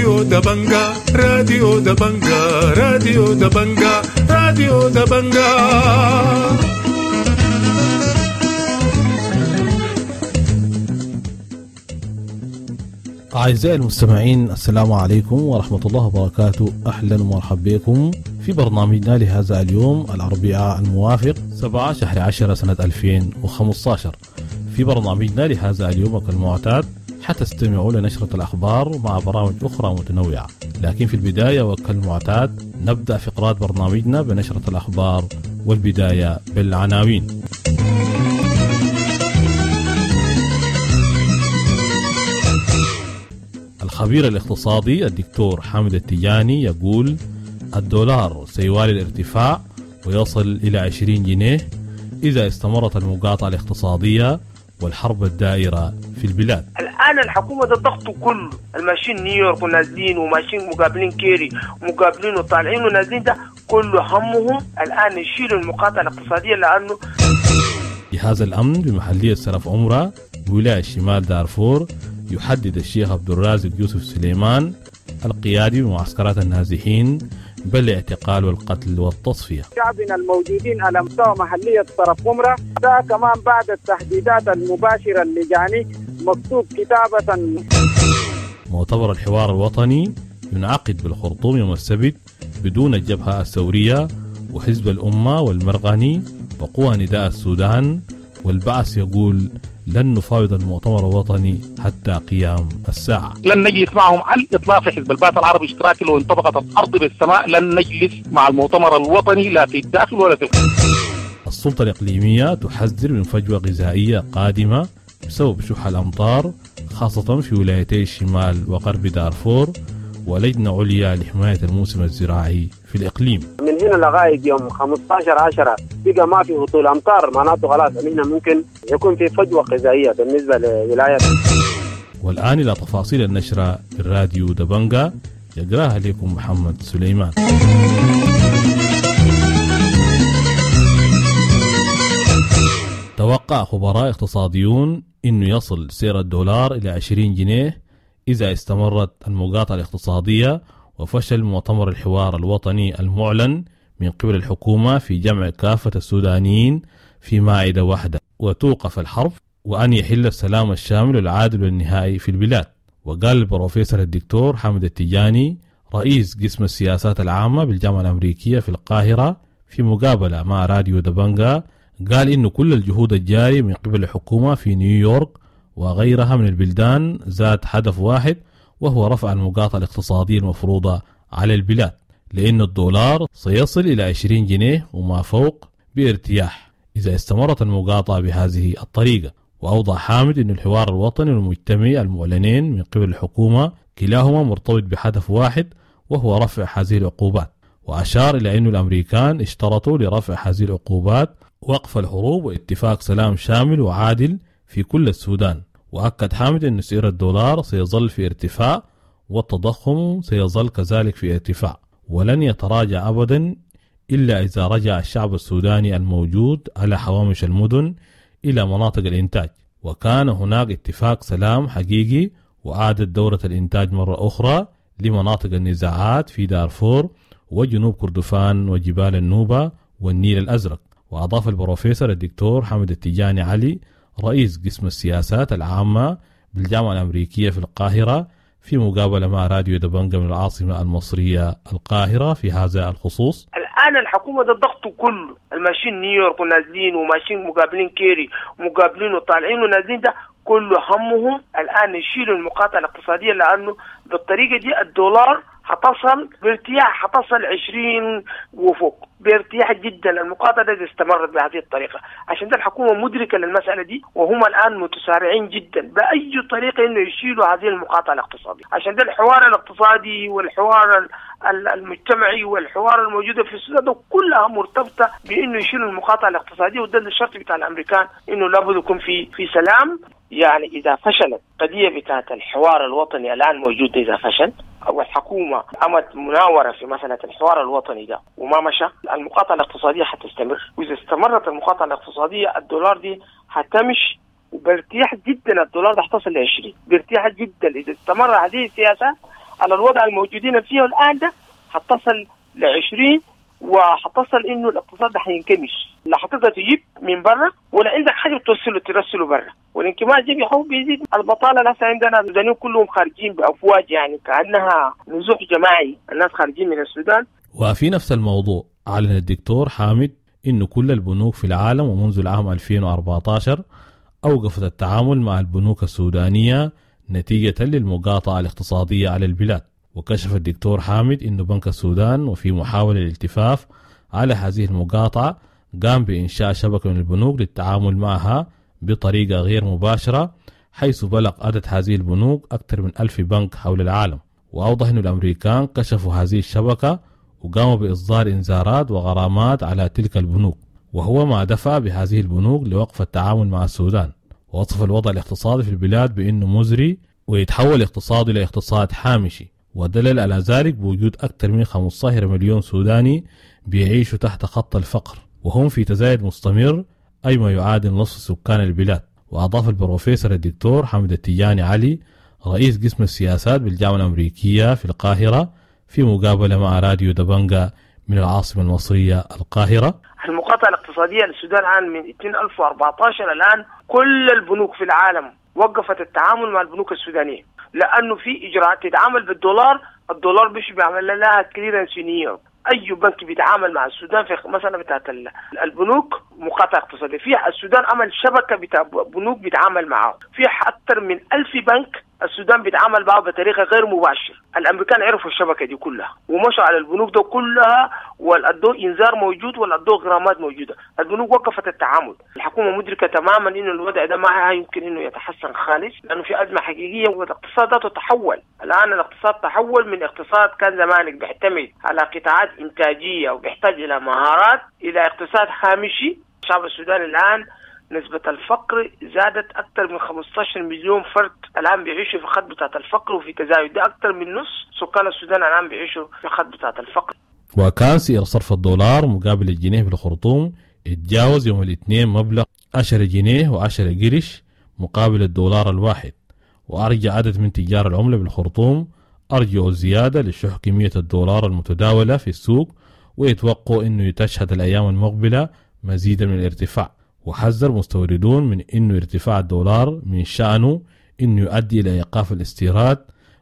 راديو دبنجا، راديو دبنجا، راديو دبنجا، راديو دبنجا. أعزائي المستمعين، السلام عليكم ورحمة الله وبركاته. أهلا ومرحبا بكم في برنامجنا لهذا اليوم الأربعاء الموافق 7 شهر 10 سنة 2015. في برنامجنا لهذا اليوم كالمعتاد حتستمعوا لنشرة الأخبار مع برامج أخرى متنوعة، لكن في البداية وكالمعتاد نبدأ فقرات برنامجنا بنشرة الأخبار، والبداية بالعناوين. الخبير الاقتصادي الدكتور حامد التجاني يقول الدولار سيوالي الارتفاع ويصل إلى 20 جنيه إذا استمرت المقاطعة الاقتصادية والحرب الدائرة في البلاد. الآن الحكومة ده الضغط كله، الماشيين نيويورك ونازلين وماشيين مقابلين كيري ومقابلين وطالعين ونازلين، ده كله همهم الآن يشيلوا المقاطعة الاقتصادية. لأنه جهاز الأمن بمحلية سرف عمرة بولاية شمال دارفور يحدد الشيخ عبد الرازق يوسف سليمان القيادي بمعسكرات النازحين بالاعتقال والقتل والتصفية. شعبنا الموجودين على مستوى محلية طرف عمرة ده كمان بعد التهديدات المباشرة اللي جاني مكتوب كتابة. مؤتمر الحوار الوطني ينعقد بالخرطوم يوم السبت بدون الجبهة الثورية وحزب الأمة والمرغني وقوى نداء السودان، والبعث يقول لن نفاوض المؤتمر الوطني حتى قيام الساعة. لن نجلس معهم على الإطلاق في حزب البعث العربي الاشتراكي، لو انطبقت الأرض بالسماء لن نجلس مع المؤتمر الوطني لا في الداخل ولا في الخارج. السلطة الإقليمية تحذر من فجوة غذائية قادمة بسبب شح الأمطار خاصة في ولايتي الشمال وغرب دارفور، ولجنة عليا لحماية الموسم الزراعي في الإقليم. من هنا لغاية يوم 15/10 بقى ما في هطول أمطار، معناته خلاص إحنا ممكن يكون في فجوة غذائية بالنسبة لولاية. والآن إلى تفاصيل النشرة في الراديو دبنجا يقراها لكم محمد سليمان. توقع خبراء اقتصاديون إنه يصل سعر الدولار إلى 20 جنيه إذا استمرت المقاطعة الاقتصادية وفشل مؤتمر الحوار الوطني المعلن من قبل الحكومة في جمع كافة السودانيين في مائدة واحدة وتوقف الحرب وأن يحل السلام الشامل العادل والنهائي في البلاد. وقال البروفيسور الدكتور حامد التجاني رئيس قسم السياسات العامة بالجامعة الأمريكية في القاهرة في مقابلة مع راديو دبنجا، قال إن كل الجهود الجارية من قبل الحكومة في نيويورك وغيرها من البلدان ذات هدف واحد، وهو رفع المقاطعة الاقتصادية المفروضة على البلاد، لأن الدولار سيصل إلى 20 جنيه وما فوق بارتياح إذا استمرت المقاطعة بهذه الطريقة. وأوضح حامد أن الحوار الوطني والمجتمعي المعلنين من قبل الحكومة كلاهما مرتبط بهدف واحد، وهو رفع هذه العقوبات. وأشار إلى أن الأمريكان اشترطوا لرفع هذه العقوبات وقف الحروب واتفاق سلام شامل وعادل في كل السودان. وأكد حامد أن سعر الدولار سيظل في ارتفاع والتضخم سيظل كذلك في ارتفاع، ولن يتراجع أبدا إلا إذا رجع الشعب السوداني الموجود على حوامش المدن إلى مناطق الإنتاج، وكان هناك اتفاق سلام حقيقي وعادت دورة الإنتاج مرة أخرى لمناطق النزاعات في دارفور وجنوب كردفان وجبال النوبة والنيل الأزرق. وأضاف البروفيسور الدكتور حامد التجاني علي رئيس قسم السياسات العامة بالجامعة الأمريكية في القاهرة في مقابلة مع راديو دبنجا من العاصمة المصرية القاهرة في هذا الخصوص. الآن الحكومة ده الضغط كله، الماشيين نيويورك ونازلين وماشيين مقابلين كيري ومقابلين وطالعين ونازلين، ده كله همهم الآن يشيلوا المقاطعة الاقتصادية، لأنه بالطريقة دي الدولار هتصل بارتياح، هتصل 20 وفوق بارتياح جدا. المقاطعة دي استمرت بهذه الطريقة، عشان ده الحكومة مدركة للمسألة دي، وهم الآن متسارعين جدا بأي طريقة إنه يشيلوا هذه المقاطعة الاقتصادية. عشان ده الحوار الاقتصادي والحوار المجتمعي والحوار الموجودة في السودان ده كلها مرتبطة بإنه يشيلوا المقاطعة الاقتصادية، وده الشرط بتاع الأمريكان إنه لابد يكون في سلام. يعني إذا فشلت قضية بتاعت الحوار الوطني الآن موجودة، إذا فشل والحكومة قامت مناورة في مسألة الحوار الوطني ده وما مشى، المقاطعة الاقتصادية حتستمر، وإذا استمرت المقاطعة الاقتصادية الدولار دي حتمشي وبارتياح جدا، الدولار ده حتصل ل 20 بارتياح جدا. إذا استمر هذه السياسة على الوضع الموجودين فيه الان ده حتصل ل 20، وحتصل انه الاقتصاد ده حينكمش، لا حتقدر تجيب من برا ولا عندك حاجة بتوصله ترسله برا، والانكماش ده بيحاول بيزيد البطالة. لسه عندنا السودانيين كلهم خارجين بافواج، يعني كانها نزوح جماعي، الناس خارجين من السودان. وفي نفس الموضوع أعلن الدكتور حامد إنه كل البنوك في العالم ومنذ العام 2014 أوقفت التعامل مع البنوك السودانية نتيجة للمقاطعة الاقتصادية على البلاد. وكشف الدكتور حامد إنه بنك السودان وفي محاولة للالتفاف على هذه المقاطعة قام بإنشاء شبكة من البنوك للتعامل معها بطريقة غير مباشرة، حيث بلغ عدد هذه البنوك أكثر من 1000 بنك حول العالم. وأوضح أن الأمريكان كشفوا هذه الشبكة وقاموا بإصدار إنذارات وغرامات على تلك البنوك، وهو ما دفع بهذه البنوك لوقف التعامل مع السودان. ووصف الوضع الاقتصادي في البلاد بأنه مزري ويتحول اقتصاد إلى اقتصاد حامشي، ودلل على ذلك بوجود أكثر من 15 مليون سوداني بيعيشوا تحت خط الفقر، وهم في تزايد مستمر، أي ما يعادل نصف سكان البلاد. وأضاف البروفيسور الدكتور حمد التجاني علي رئيس قسم السياسات بالجامعة الأمريكية في القاهرة في مقابلة مع راديو دبنجا من العاصمة المصرية القاهرة: المقاطعة الاقتصادية للسودان الآن من 2014 الآن كل البنوك في العالم وقفت التعامل مع البنوك السودانية، لأنه في إجراءات تتعامل بالدولار، الدولار مش بيعمل لها clearance في نيويورك. أي بنك بيتعامل مع السودان في مثلا بتاعت البنوك مقاطعة اقتصادية، في السودان عمل شبكة بتاع بنوك بيتعامل معاه، في أكثر من 1000 بنك السودان بيتعامل معه بطريقة غير مباشرة. الأمريكان عرفوا الشبكة دي كلها ومشوا على البنوك ده كلها، والأدو إنذار موجود والأدو غرامات موجودة، البنوك وقفت التعامل. الحكومة مدركة تماما إنه الوضع ده ما يمكن إنه يتحسن خالص، لأنه في أزمة حقيقية والاقتصاد ده تحول. الآن الاقتصاد تحول من اقتصاد كان زمانك بيعتمد على قطاعات إنتاجية وبيحتاج إلى مهارات إلى اقتصاد هامشي. الشعب السوداني الآن نسبة الفقر زادت أكثر من 15 مليون فرد الآن بيعيشوا في خط بتاعة الفقر وفي تزايد، ده أكثر من نص سكان السودان الآن بيعيشوا في خط بتاعة الفقر. وكان سعر صرف الدولار مقابل الجنيه بالخرطوم اتجاوز يوم الاثنين مبلغ 10 جنيه و10 قرش مقابل الدولار الواحد. وأرجع عدد من تجار العملة بالخرطوم أرجعوا زيادة لشح كمية الدولار المتداولة في السوق، ويتوقعوا أنه تشهد الأيام المقبلة مزيدا من الارتفاع. وحذر مستوردون من أنه ارتفاع الدولار من شأنه أنه يؤدي إلى إيقاف الاستيراد،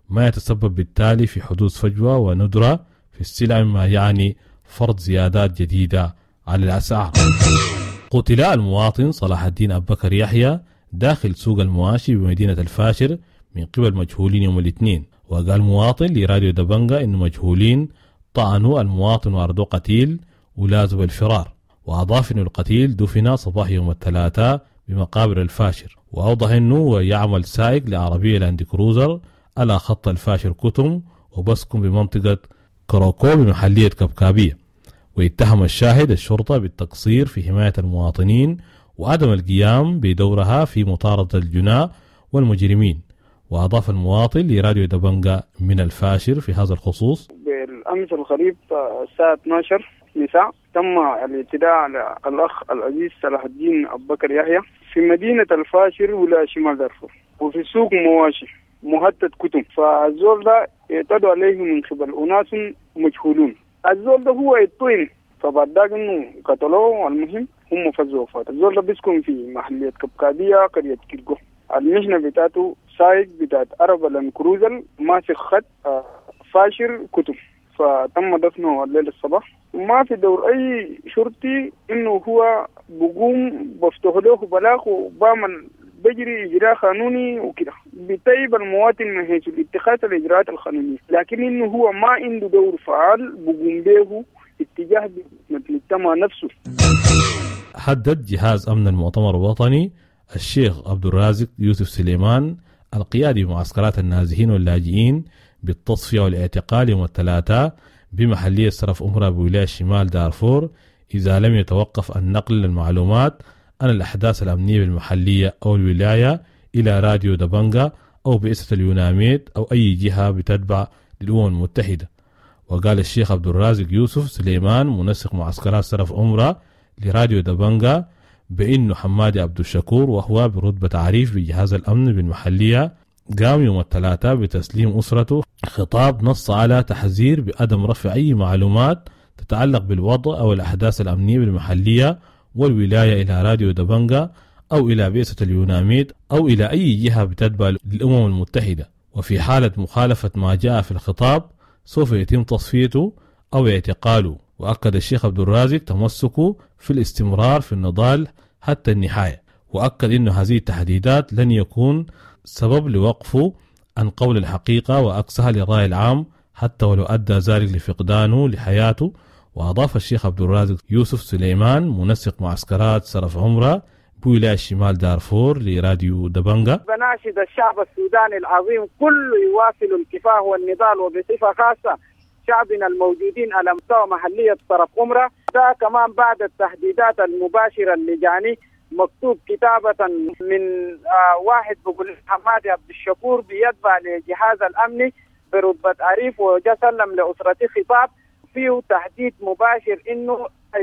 ما يتسبب بالتالي في حدوث فجوة وندرة في السلع، مما يعني فرض زيادات جديدة على الأسعار. قتل المواطن صلاح الدين أبو بكر يحيى داخل سوق المواشي بمدينة الفاشر من قبل مجهولين يوم الاثنين. وقال مواطن لراديو دبنجا أنه مجهولين طعنوا المواطن وأردوه قتيل ولازم الفرار. وأضاف أن القتيل دفن صباح يوم الثلاثاء بمقابر الفاشر. وأوضح أنه يعمل سائق لعربية لاند كروزر على خط الفاشر كتم وبسكن بمنطقة كروكو بمحلية كبكابية. واتهم الشاهد الشرطة بالتقصير في حماية المواطنين وعدم القيام بدورها في مطاردة الجناة والمجرمين. وأضاف المواطن لراديو دبنجا من الفاشر في هذا الخصوص: بالأمس القريب الساعة 12 مساء تم الاعتداء على الأخ العزيز صلاح الدين أبو بكر يحيى في مدينة الفاشر ولاية شمال دارفور، وفي سوق مواشي مهدد كتم. فالزول ده اعتدوا عليه من قبل أناس مجهولون. الزول ده هو الطين، فبعد ذاك انه قتلوه. المهم هم فزوا وفاته. الزول ده بيسكن في محلية كبكابية قرية كيرجو. المهنة بتاعته سايق بتاعت عربة لاند كروزر ماسك خط فاشر كتم. فتم دفنه الليل الصباح. وما في دور اي شرطي انه هو بقوم بفتح له بلاغ وبعمل بجري اجراء قانوني وكده، بيطيب المواطن من حيث اتخاذ الاجراءات القانونية، لكن انه هو ما عنده دور فعال بقوم به اتجاه المجتمع نفسه. حدد جهاز امن المؤتمر الوطني الشيخ عبد الرازق يوسف سليمان القيادي بمعسكرات النازحين واللاجئين بالتصفية والاعتقال يوم الثلاثاء بمحلية سرف أمرا بولاية شمال دارفور إذا لم يتوقف النقل للمعلومات عن الأحداث الأمنية بالمحلية أو الولاية إلى راديو دبنجا أو بئسة اليوناميد أو أي جهة بتتبع للأمم المتحدة. وقال الشيخ عبد الرازق يوسف سليمان منسق معسكرات سرف أمرا لراديو دبنجا بأنه حمادي عبد الشكور وهو برتبة عريف بجهاز الأمن بالمحلية قام يوم الثلاثاء بتسليم أسرته خطاب نص على تحذير بعدم رفع أي معلومات تتعلق بالوضع أو الأحداث الأمنية بالمحلية والولاية إلى راديو دبنجا أو إلى بعثة اليوناميد أو إلى أي جهة بتتبع للأمم المتحدة، وفي حالة مخالفة ما جاء في الخطاب سوف يتم تصفيته أو اعتقاله. وأكد الشيخ عبد الرازق تمسكه في الاستمرار في النضال حتى النهاية، وأكد أن هذه التهديدات لن يكون سبب لوقفه عن قول الحقيقة وأكسها للرأي العام حتى ولو أدى ذلك لفقدانه لحياته. وأضاف الشيخ عبد الرازق يوسف سليمان منسق معسكرات سرف عمرة بولاية شمال دارفور لراديو دبنجا: بناشد الشعب السوداني العظيم كله يواصل الكفاح والنضال، وبصفة خاصة شعبنا الموجودين على مستوى محلية صرف عمرة. ده كمان بعد التهديدات المباشرة اللي جاني مكتوب كتابة من واحد بقول حمادي عبد الشكور بيتبع لجهاز الأمني برتبة عريف، وجا سلم لأسرتي خطاب فيه تهديد مباشر إنه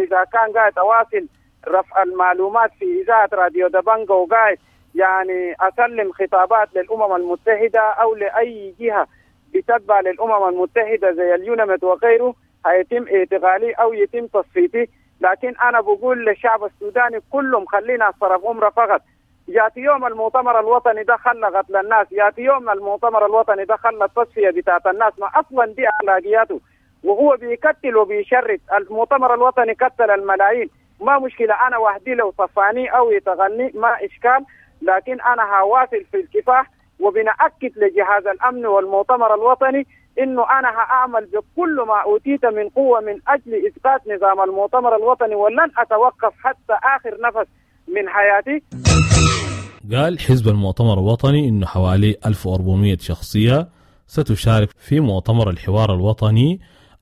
إذا كان قاعد أواصل رفع المعلومات في إذاعة راديو دبنجا وقاعد يعني أسلم خطابات للأمم المتحدة أو لأي جهة بتتبع للأمم المتحدة زي اليوناميد وغيره هيتم اعتقالي أو يتم تصفيتي. لكن أنا بقول للشعب السوداني كلهم خلينا صرف عمره فقط. ياتي يوم المؤتمر الوطني ده خلى قتل الناس، ياتي يوم المؤتمر الوطني ده خلى التصفية بتاعت الناس، ما أصلا دي أخلاقياته وهو بيقتل وبيشرد. المؤتمر الوطني قتل الملايين، ما مشكلة أنا وحدي لو صفاني أو يتغني ما إشكال، لكن أنا هواصل في الكفاح. وبنأكد لجهاز الأمن والمؤتمر الوطني إنه أنا هأعمل بكل ما أوتيت من قوة من أجل إسقاط نظام المؤتمر الوطني، ولن أتوقف حتى آخر نفس من حياتي. قال حزب المؤتمر الوطني إنه حوالي 1400 شخصية ستشارك في مؤتمر الحوار الوطني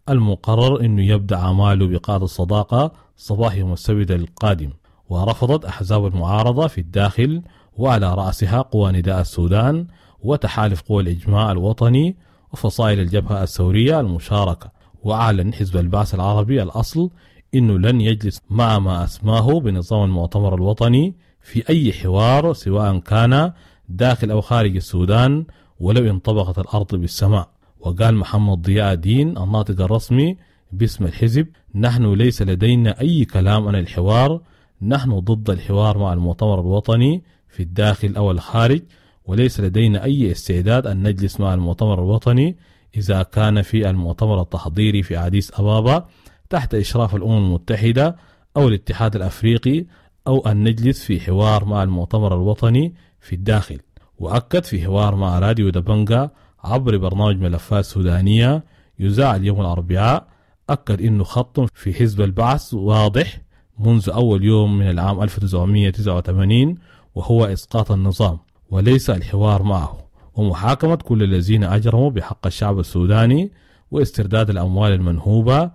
المقرر إنه يبدأ أعماله بقاعة الصداقة صباح يوم السبت القادم. ورفضت أحزاب المعارضة في الداخل وعلى رأسها قوى نداء السودان وتحالف قوى الإجماع الوطني وفصائل الجبهة الثورية المشاركة. وأعلن حزب البعث العربي الأصل إنه لن يجلس مع ما أسماه بنظام المؤتمر الوطني في أي حوار سواء كان داخل أو خارج السودان ولو انطبقت الأرض بالسماء. وقال محمد ضياء الدين الناطق الرسمي باسم الحزب: نحن ليس لدينا أي كلام عن الحوار، نحن ضد الحوار مع المؤتمر الوطني في الداخل أو الخارج، وليس لدينا أي استعداد أن نجلس مع المؤتمر الوطني إذا كان في المؤتمر التحضيري في أديس أبابا تحت إشراف الأمم المتحدة أو الاتحاد الأفريقي، أو أن نجلس في حوار مع المؤتمر الوطني في الداخل. وأكد في حوار مع راديو دبنجا عبر برنامج ملفات سودانية يذاع اليوم الأربعاء، أكد أنه خط في حزب البعث واضح منذ أول يوم من العام 1989، وهو إسقاط النظام وليس الحوار معه، ومحاكمة كل الذين أجرموا بحق الشعب السوداني، واسترداد الأموال المنهوبة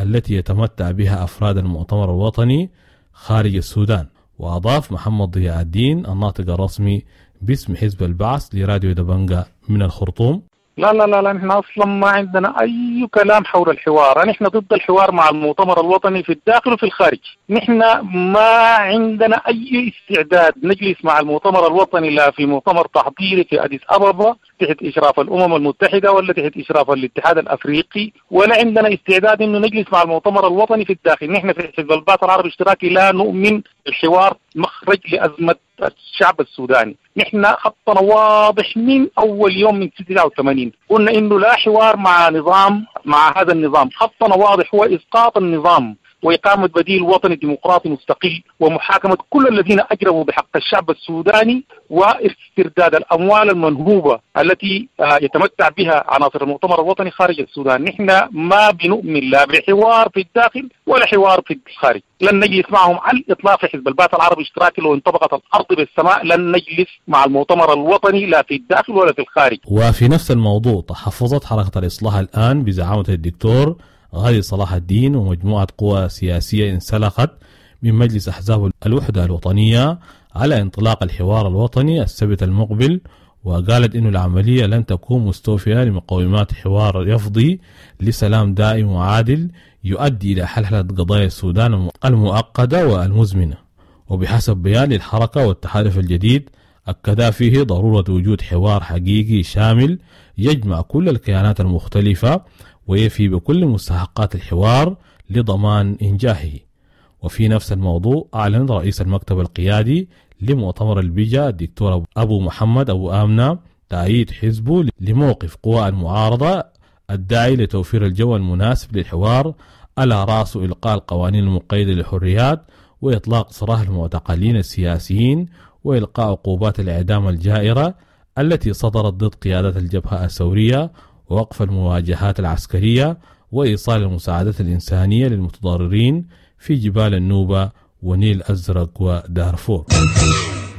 التي يتمتع بها أفراد المؤتمر الوطني خارج السودان. وأضاف محمد ضياء الدين الناطق الرسمي باسم حزب البعث لراديو دبنجا من الخرطوم: لا لا لا لا، نحن أصلا ما عندنا أي كلام حول الحوار، نحن ضد الحوار مع المؤتمر الوطني في الداخل وفي الخارج. نحن ما عندنا أي استعداد نجلس مع المؤتمر الوطني لا في مؤتمر تحضيري في أديس أبابا تحت إشراف الأمم المتحدة ولا تحت إشراف الاتحاد الأفريقي، ولا عندنا استعداد إنه نجلس مع المؤتمر الوطني في الداخل. نحن في حزب البعث العربي الاشتراكي لا نؤمن الحوار مخرج لأزمة الشعب السوداني. نحن خطنا واضح من أول يوم من 89، قلنا إنه لا حوار مع نظام، مع هذا النظام. خطنا واضح هو إسقاط النظام وإقامة بديل وطني ديمقراطي مستقل، ومحاكمة كل الذين أجرموا بحق الشعب السوداني، واسترداد الأموال المنهوبة التي يتمتع بها عناصر المؤتمر الوطني خارج السودان. نحن ما بنؤمن لا بحوار في الداخل ولا حوار في الخارج، لن نجلس معهم على الإطلاق. في حزب البعث العربي الاشتراكي لو انطبقت الأرض بالسماء لن نجلس مع المؤتمر الوطني لا في الداخل ولا في الخارج. وفي نفس الموضوع تحفظت حركة الإصلاح الآن بزعامة الدكتور غازي صلاح الدين ومجموعة قوى سياسية انسلخت من مجلس أحزاب الوحدة الوطنية على انطلاق الحوار الوطني السبت المقبل، وقالت إن العملية لن تكون مستوفية لمقومات حوار يفضي لسلام دائم وعادل يؤدي إلى حلحلة قضايا السودان المؤقتة والمزمنة. وبحسب بيان للحركة والتحالف الجديد أكدا فيه ضرورة وجود حوار حقيقي شامل يجمع كل الكيانات المختلفة ويفي بكل مستحقات الحوار لضمان إنجاحه. وفي نفس الموضوع أعلن رئيس المكتب القيادي لمؤتمر البجا الدكتور أبو محمد أبو آمنة تأييد حزبه لموقف قوى المعارضة الداعي لتوفير الجو المناسب للحوار، على رأسه إلقاء القوانين المقيدة للحريات وإطلاق سراح المعتقلين السياسيين وإلقاء عقوبات الإعدام الجائرة التي صدرت ضد قيادة الجبهة الثورية، ووقف المواجهات العسكرية، وإيصال المساعدات الإنسانية للمتضررين في جبال النوبة ونيل أزرق ودارفور.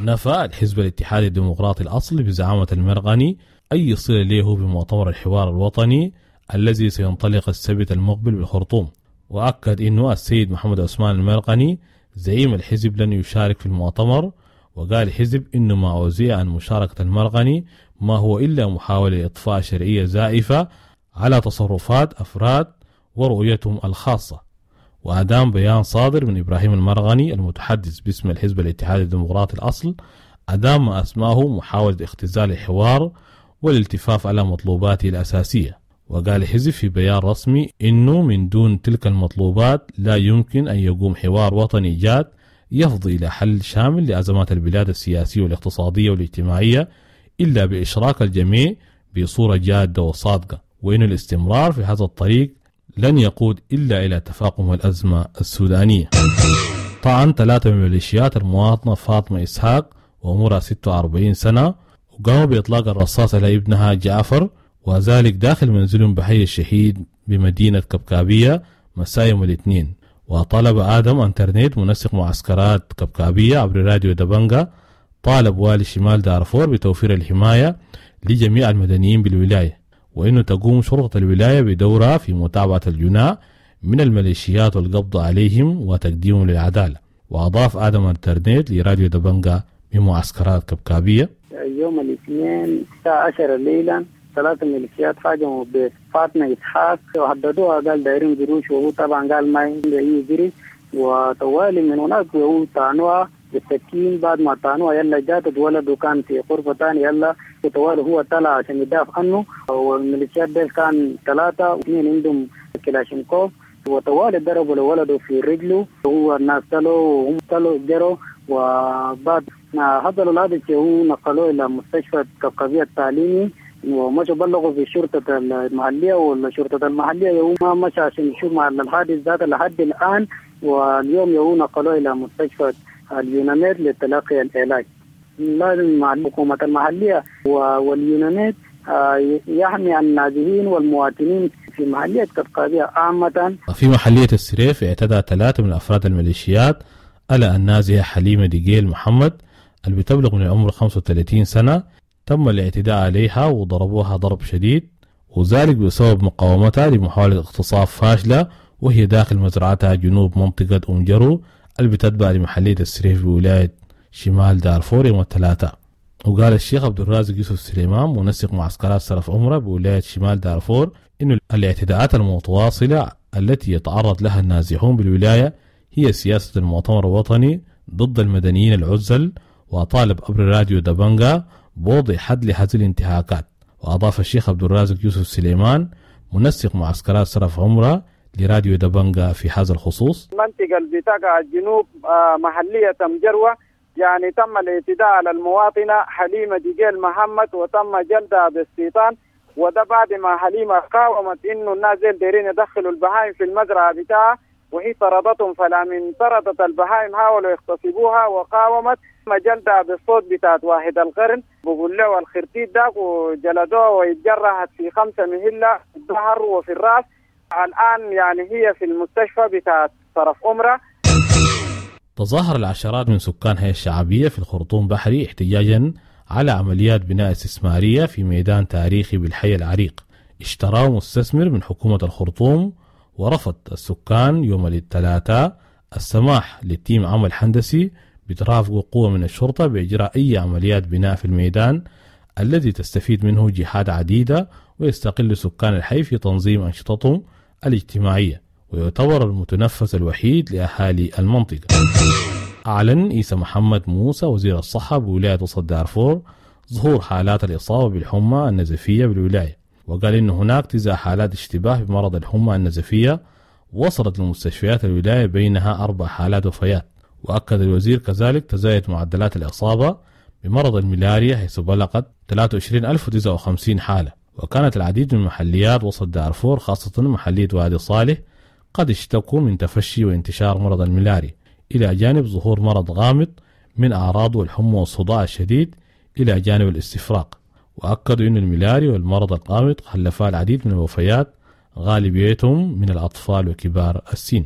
نفى الحزب الاتحادي الديمقراطي الأصل بزعامة المرغني أي صلة له بمؤتمر الحوار الوطني الذي سينطلق السبت المقبل بالخرطوم، وأكد أنه السيد محمد عثمان المرغني زعيم الحزب لن يشارك في المؤتمر. وقال الحزب إنه ما أوزع عن مشاركة المرغني ما هو إلا محاولة لإطفاء شرعية زائفة على تصرفات أفراد ورؤيتهم الخاصة. وأدام بيان صادر من إبراهيم المرغني المتحدث باسم الحزب الاتحادي الديمقراطي الأصل أدام ما أسماه محاولة اختزال الحوار والالتفاف على مطلوباته الأساسية. وقال الحزب في بيان رسمي إنه من دون تلك المطلوبات لا يمكن أن يقوم حوار وطني جاد يفضي إلى حل شامل لأزمات البلاد السياسية والاقتصادية والاجتماعية إلا بإشراك الجميع بصورة جادة وصادقة، وإن الاستمرار في هذا الطريق لن يقود إلا إلى تفاقم الأزمة السودانية. طعن 3 من ميليشيات المواطنة فاطمة إسحاق وعمرها 46 سنة، وقاموا بإطلاق الرصاص على ابنها جعفر، وذلك داخل منزلهم بحي الشهيد بمدينة كبكابية مساء يوم الاثنين. وطلب آدم أنترنت منسق معسكرات كبكابية عبر راديو دبنجا طالب والي شمال دارفور بتوفير الحماية لجميع المدنيين بالولاية، وإنه تقوم شرطة الولاية بدورها في متابعة الجناة من الميليشيات والقبض عليهم وتقديمهم للعدالة. وأضاف آدم أنترنت لراديو دبنجا من معسكرات كبكابية: يوم الاثنين الساعة 10 ليلا 3 ميليشيات هاجموا بفاطمة إسحاق وهددوها، قال دايرين قروش، وهو طبعا قال ما عنده أي قرش، وطوالي من هناك وهو طعنوها بالسكين. بعد ما طعنوها يلا جات ولده كان في غرفة ثانية، يلا وطوالي هو طلع عشان يدافع عنه، والميليشيات ديل كان 3 و2 عندهم كلاشينكوف، وطوالي ضربوا لولده في رجله، وهو الناس طلعوا وهم طلعوا جروا، وبعد ما حصلوا الحادث هو نقلوه إلى مستشفى كبكابية التعليمي، ومشوا بلغوا في الشرطة المحلية، والشرطة المحلية يوم ما مشى عشان يشوف مع الحادث ذات لحد الآن، واليوم يوم نقلوه إلى مستشفى اليوناميد لتلقي العلاج. لازم مع الحكومة المحلية واليوناميد يحمي النازحين والمواطنين في محلية كبكابية عامة. في محلية السريف اعتدى 3 من أفراد الميليشيات على النازحة حليمة ديجيل محمد اللي بتبلغ من العمر 35 سنة، تم الاعتداء عليها وضربوها ضرب شديد، وذلك بسبب مقاومتها لمحاولة اغتصاب فاشلة وهي داخل مزرعتها جنوب منطقة أم جرو اللي بتتبع لمحلية السريف بولاية شمال دارفور يوم الثلاثاء. وقال الشيخ عبد الرازق يوسف سليمان منسق معسكرات سلف عمرة بولاية شمال دارفور إن الاعتداءات المتواصلة التي يتعرض لها النازحون بالولاية هي سياسة المؤتمر الوطني ضد المدنيين العزل، وطالب عبر راديو دبنجا بوضع حد لهذه الانتهاكات. وأضاف الشيخ عبد الرازق يوسف سليمان منسق معسكرات سرف عمرة لراديو دبنجا في هذا الخصوص: المنطقة اللي بتقع الجنوب محلية مجروة، يعني تم الاعتداء على المواطنة حليمة ديجيل محمد وتم جلدها بالسيطان، وده بعد ما حليمة قاومت إنه الناس دايرين يدخلوا البهائم في المزرعة بتاعها وهي طردتهم، فلا من طردت البهائم حاولوا يغتصبوها وقاومت، جلدها بالصوت بتاعت واحد القرن بقول له الخرتيت داك، وجلدوها ويتجرحت في 5 مهلة في الظهر وفي الرأس. الآن يعني هي في المستشفى بتاعت طرف أمرة. تظاهر العشرات من سكان هيئة الشعبية في الخرطوم بحري احتجاجا على عمليات بناء استثمارية في ميدان تاريخي بالحي العريق اشتراه مستثمر من حكومة الخرطوم، ورفض السكان يوم الثلاثاء السماح لتيم عمل هندسي بترافق قوة من الشرطة بإجراء أي عمليات بناء في الميدان الذي تستفيد منه جهات عديدة ويستقل سكان الحي في تنظيم أنشطتهم الاجتماعية، ويعتبر المتنفس الوحيد لأهالي المنطقة. أعلن إيسى محمد موسى وزير الصحة بولاية وسط دارفور ظهور حالات الإصابة بالحمى النزفية بالولاية، وقال إن هناك 9 حالات اشتباه بمرض الحمى النزفية وصلت لمستشفيات الولاية، بينها 4 حالات وفيات. وأكد الوزير كذلك تزايد معدلات الإصابة بمرض الملاريا حيث بلغت 23059 حالة، وكانت العديد من محليات وسط دارفور خاصة محلية وادي صالح قد اشتكوا من تفشي وانتشار مرض الملاريا، إلى جانب ظهور مرض غامض من أعراضه الحمى والصداع الشديد إلى جانب الاستفراق. وأكدوا أن الملاريا والمرض الغامض خلفا العديد من الوفيات غالبيتهم من الأطفال وكبار السن.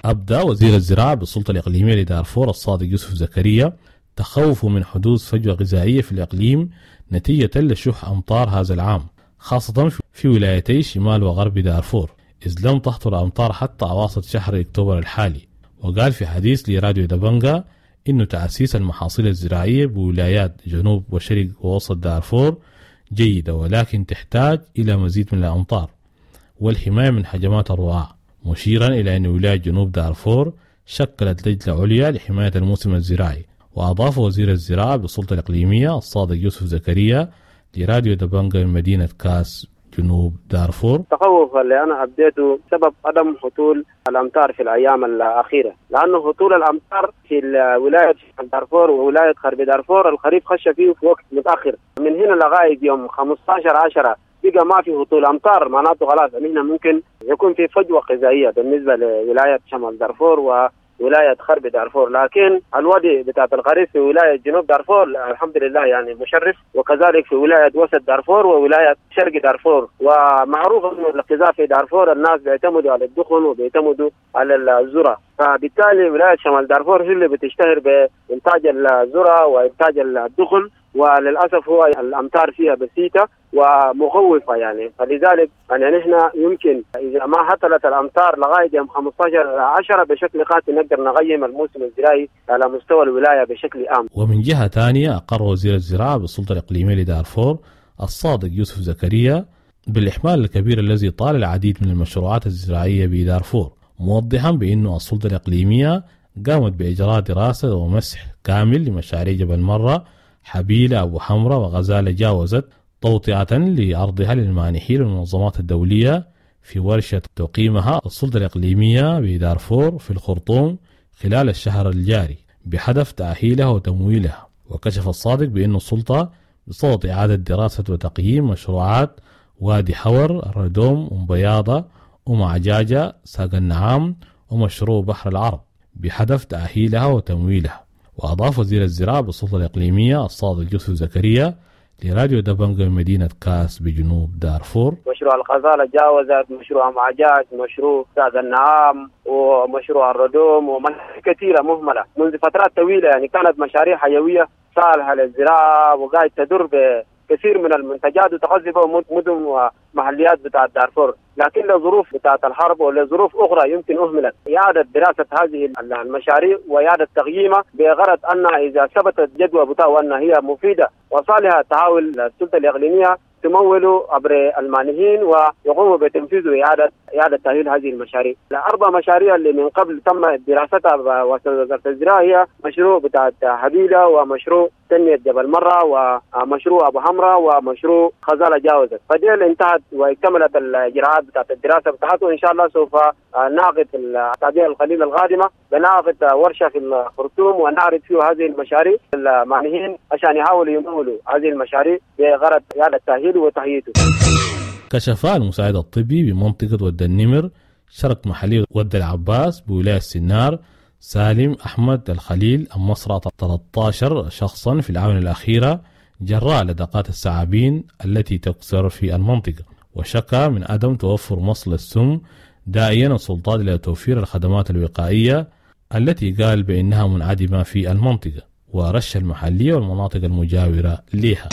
أبدى وزير الزراعة بالسلطة الإقليمية لدارفور الصادق يوسف زكريا تخوفه من حدوث فجوة غذائية في الإقليم نتيجة لشح أمطار هذا العام، خاصة في ولايتي شمال وغرب دارفور، إذ لم تهطل أمطار حتى أواسط شهر أكتوبر الحالي. وقال في حديث لراديو دبنجا إنه تأسيس المحاصيل الزراعية بولايات جنوب وشرق ووسط دارفور جيدة، ولكن تحتاج إلى مزيد من الأمطار والحماية من هجمات الرعاة، مشيرا إلى أن ولاية جنوب دارفور شكلت لجنة عليا لحماية الموسم الزراعي. وأضاف وزير الزراعة بالسلطة الإقليمية الصادق يوسف زكريا لراديو دبنجا من مدينة كاس جنوب دارفور: التخوف اللي أنا أبديته سبب عدم هطول الأمطار في الأيام الأخيرة، لأنه هطول الأمطار في ولاية دارفور وولاية غرب دارفور الخريف خش فيه في وقت متأخر، من هنا لغاية يوم 15/10 بقى ما في هطول أمطار، معناته خلاص هنا ممكن يكون في فجوة غذائية بالنسبة لولاية شمال دارفور وولاية غرب دارفور. لكن الوضع بتاع الخريف في ولاية جنوب دارفور الحمد لله يعني مشرف، وكذلك في ولاية وسط دارفور وولاية شرق دارفور. ومعروف أنه الغذاء في دارفور الناس بيعتمدوا على الدخن وبيعتمدوا على الذرة، فبالتالي ولاية شمال دارفور هي اللي بتشتهر بإنتاج الذرة وإنتاج الدخن، وللأسف هو الأمطار فيها بسيطة ومخوفة يعني. فلذلك يعني نحن يمكن إذا ما هطلت الأمطار لغاية يوم 15/10 بشكل قاتل نقدر نقيم الموسم الزراعي على مستوى الولاية بشكل عام. ومن جهة ثانية أقر وزير الزراعة بالسلطة الإقليمية لدارفور الصادق يوسف زكريا بالإحمال الكبير الذي طال العديد من المشروعات الزراعية بدارفور، موضحا بأنه السلطة الإقليمية قامت بإجراء دراسة ومسح كامل لمشاريع جبل مرة، حبيلة، أبو حمرة وغزالة جاوزت توطئة لأرضها للمانحين والمنظمات الدولية في ورشة تقيمها السلطة الإقليمية بدارفور في الخرطوم خلال الشهر الجاري بهدف تأهيلها وتمويلها. وكشف الصادق بأن السلطة بصدد إعادة دراسة وتقييم مشروعات وادي حور، الردوم، أم بياضة، أم عجاجة، ساق النعام ومشروع بحر العرب بهدف تأهيلها وتمويلها. وأضاف وزير الزراعة بالسلطة الإقليمية الصادق يوسف زكريا لراديو دبنجا من مدينة كاس بجنوب دارفور: مشروع الغزالة جاوزت، مشروع معجاج، مشروع ساق النعام، ومشروع الردوم، ومشاريع كثيرة مهملة منذ فترات طويلة، يعني كانت مشاريع حيوية صالحة للزراعة وقاعد تدر بكثير من المنتجات وتغذي مدن ومحليات بتاعت دارفور، لكن لظروف بتاعت الحرب ولظروف أخرى يمكن أهملت. إعادة دراسة هذه المشاريع وإعادة تقييمها بغرض أن إذا ثبتت جدوى بتاعها أن هي مفيدة وصالحة تحاول السلطة الإقليمية تمول عبر المانحين ويقوموا بتنفيذ إعادة تأهيل هذه المشاريع. الأربع مشاريع اللي من قبل تم دراستها وزارة الزراعة هي مشروع بتاع حبيلة ومشروع تنمية جبل مرة ومشروع أبو حمرة ومشروع خزالة جاوزت، فدي اللي انتهت واكتملت الإجراءات بتاعت الدراسة بتاعته، وإن شاء الله سوف نعقد في الأسابيع القليلة القادمة بنعقد ورشة في الخرطوم ونعرض فيه هذه المشاريع للمانحين عشان يحاولوا يمولوا هذه المشاريع بغرض إعادة تأهيله وتهيئته. كشف المساعد الطبي بمنطقة ود النمر شرق محلية ود العباس بولاية السنار سالم أحمد الخليل مصرع 13 شخصا في الآونة الأخيرة جراء لدقات الثعابين التي تكثر في المنطقة، وشكى من عدم توفر مصل السم، داعيا السلطات إلى توفير الخدمات الوقائية التي قال بأنها منعدمة في المنطقة ورش المحلية والمناطق المجاورة لها.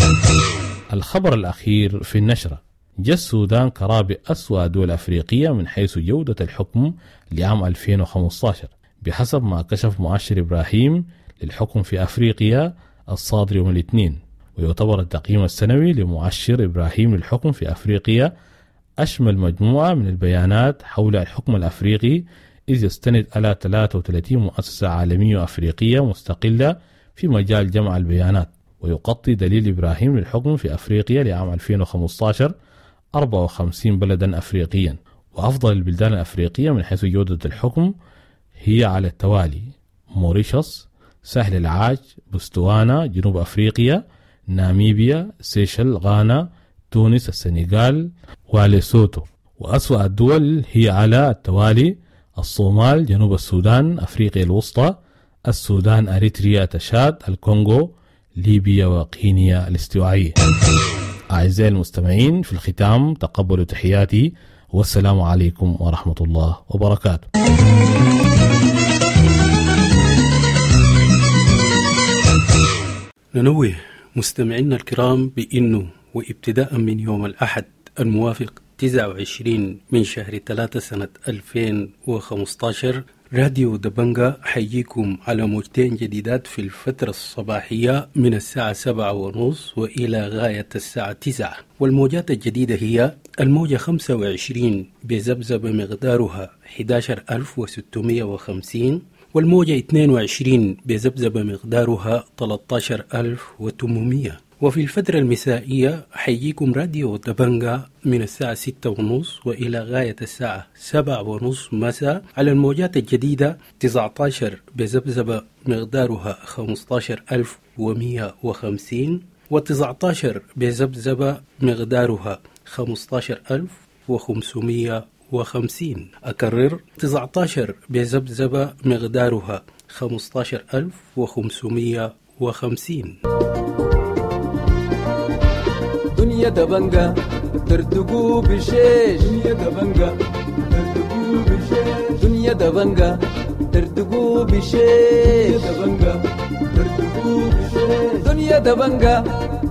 الخبر الأخير في النشرة: جاء السودان كرابع أسوأ دول أفريقية من حيث جودة الحكم لعام 2015 بحسب ما كشف مؤشر إبراهيم للحكم في أفريقيا الصادر يوم الاثنين. ويعتبر التقييم السنوي لمؤشر إبراهيم للحكم في أفريقيا أشمل مجموعة من البيانات حول الحكم الأفريقي إذ يستند على 33 مؤسسة عالمية وأفريقية مستقلة في مجال جمع البيانات. ويغطي دليل إبراهيم للحكم في أفريقيا لعام 2015 54 بلدا أفريقيا. وأفضل البلدان الأفريقية من حيث جودة الحكم هي على التوالي: موريشيوس، ساحل العاج، بوتسوانا، جنوب أفريقيا، ناميبيا، سيشل، غانا، تونس، السنغال، وليسوتو. وأسوأ الدول هي على التوالي: الصومال، جنوب السودان، أفريقيا الوسطى، السودان، أريتريا، تشاد، الكونغو، ليبيا، وغينيا الاستوائية. أعزائي المستمعين، في الختام تقبلوا تحياتي، والسلام عليكم ورحمة الله وبركاته. ننوه مستمعينا الكرام بأنه وابتداء من يوم الأحد الموافق 29 من شهر 3 سنة 2015 راديو دبنجا حيجيكم على موجتين جديدات في الفترة الصباحية من الساعة 7:30 وإلى غاية الساعة 9. والموجات الجديدة هي الموجة 25 بذبذبة مقدارها 11650، والموجة 22 بذبذبة مقدارها 13800. وفي الفترة المسائية حيجيكم راديو دبنجا من الساعة 6:30 وإلى غاية الساعة 7:30 مساء على الموجات الجديدة 19 بذبذبة مقدارها 15150، و19 بذبذبة مقدارها 15550. أكرر، 19 بذبذبة مقدارها 15550. دنيا دبنجا ترتقو بشيش، دنيا دبنجا ترتقو بشيش، دنيا دبنجا ترتقو بشيش، دبنجا ترتقو بشيش، دنيا دبنجا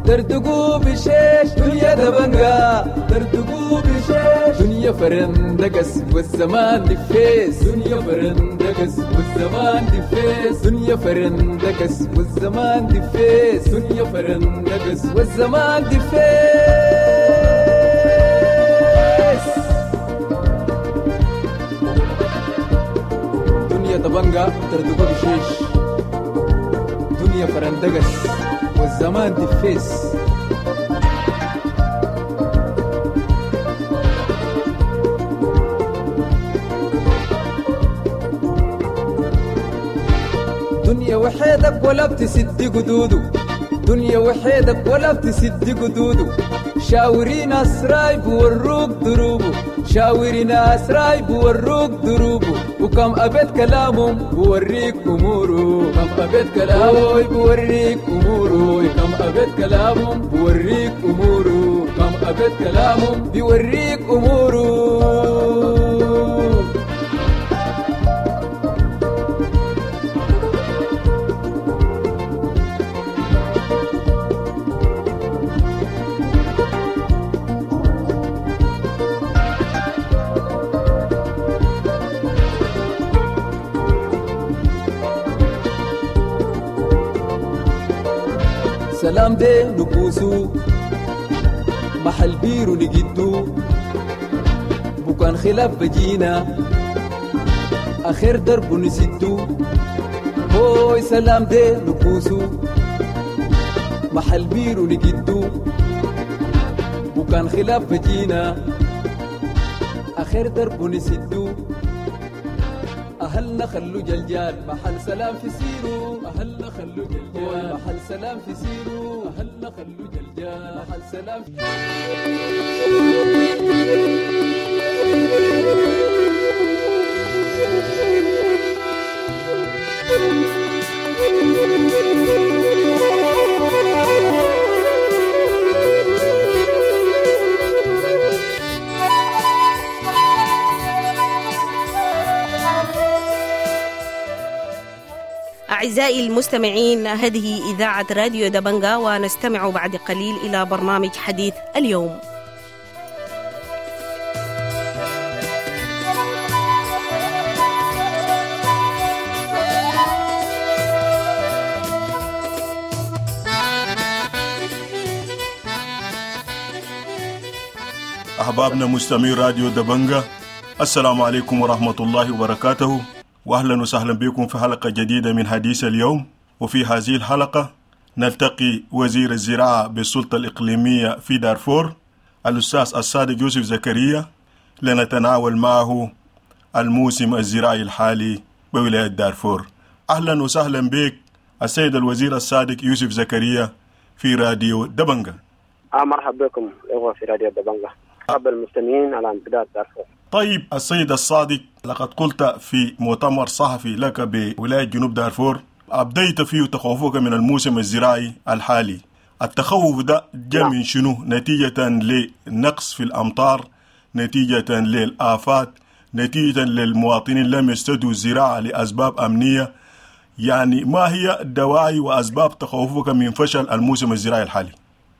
ترتقو بشيش، دنيا دبنجا ترتقو بشيش، دنيا فرندقس والزمان دفيس، دنيا فرندقس والزمان دفيس، دنيا فرندقس والزمان دفيس، دنيا فرندقس والزمان دفيس. دنيا دبنجا ترتقو بشيش، دنيا فرندقس والزمان دفيس. دنيا وحيدك ولا بتسد قدوده، دنيا وحيدك ولا بتسد قدوده، شاوري ناس رايب وروك دروبه، شاوري ناس رايب وروك دروبه، وكم أبيت كلامهم بوريك أموره، كم أبيت كلامه بوريك أموره، كم أبيت كلامهم بوريك أموره، كم أبيت كلامهم بيوريك أموره. سلام دي نبوسو محل بيرو نجدو، بكان خلاف بجينا آخر درب نسدو، هوي سلام دي نبوسو محل بيرو نجدو، بكان خلاف بجينا آخر درب نسدو، أهلنا خلو جلجال محل سلام في سيرو، أهلنا خلو جلجال محل سلام في سيرو، أهلنا خلو جلجال محل سلام. أعزائي المستمعين، هذه إذاعة راديو دبنجا، ونستمع بعد قليل إلى برنامج حديث اليوم. أحبابنا مستمعي راديو دبنجا، السلام عليكم ورحمة الله وبركاته، وأهلا وسهلا بكم في حلقة جديدة من حديث اليوم. وفي هذه الحلقة نلتقي وزير الزراعة بالسلطة الإقليمية في دارفور الأستاذ الصادق يوسف زكريا لنتناول معه الموسم الزراعي الحالي بولاية دارفور. أهلا وسهلا بك السيد الوزير الصادق يوسف زكريا في راديو دبنجة. مرحبا بكم إخوة في راديو دبنجة، مرحبا المستمعين على امتداد دارفور. طيب السيد الصادق، لقد قلت في مؤتمر صحفي لك بولاية جنوب دارفور أبديت فيه تخوفك من الموسم الزراعي الحالي. التخوف ده جاء من شنو؟ نتيجة لنقص في الأمطار، نتيجة للآفات، نتيجة للمواطنين لم يستدوا الزراعة لأسباب أمنية. يعني ما هي الدواعي وأسباب تخوفك من فشل الموسم الزراعي الحالي؟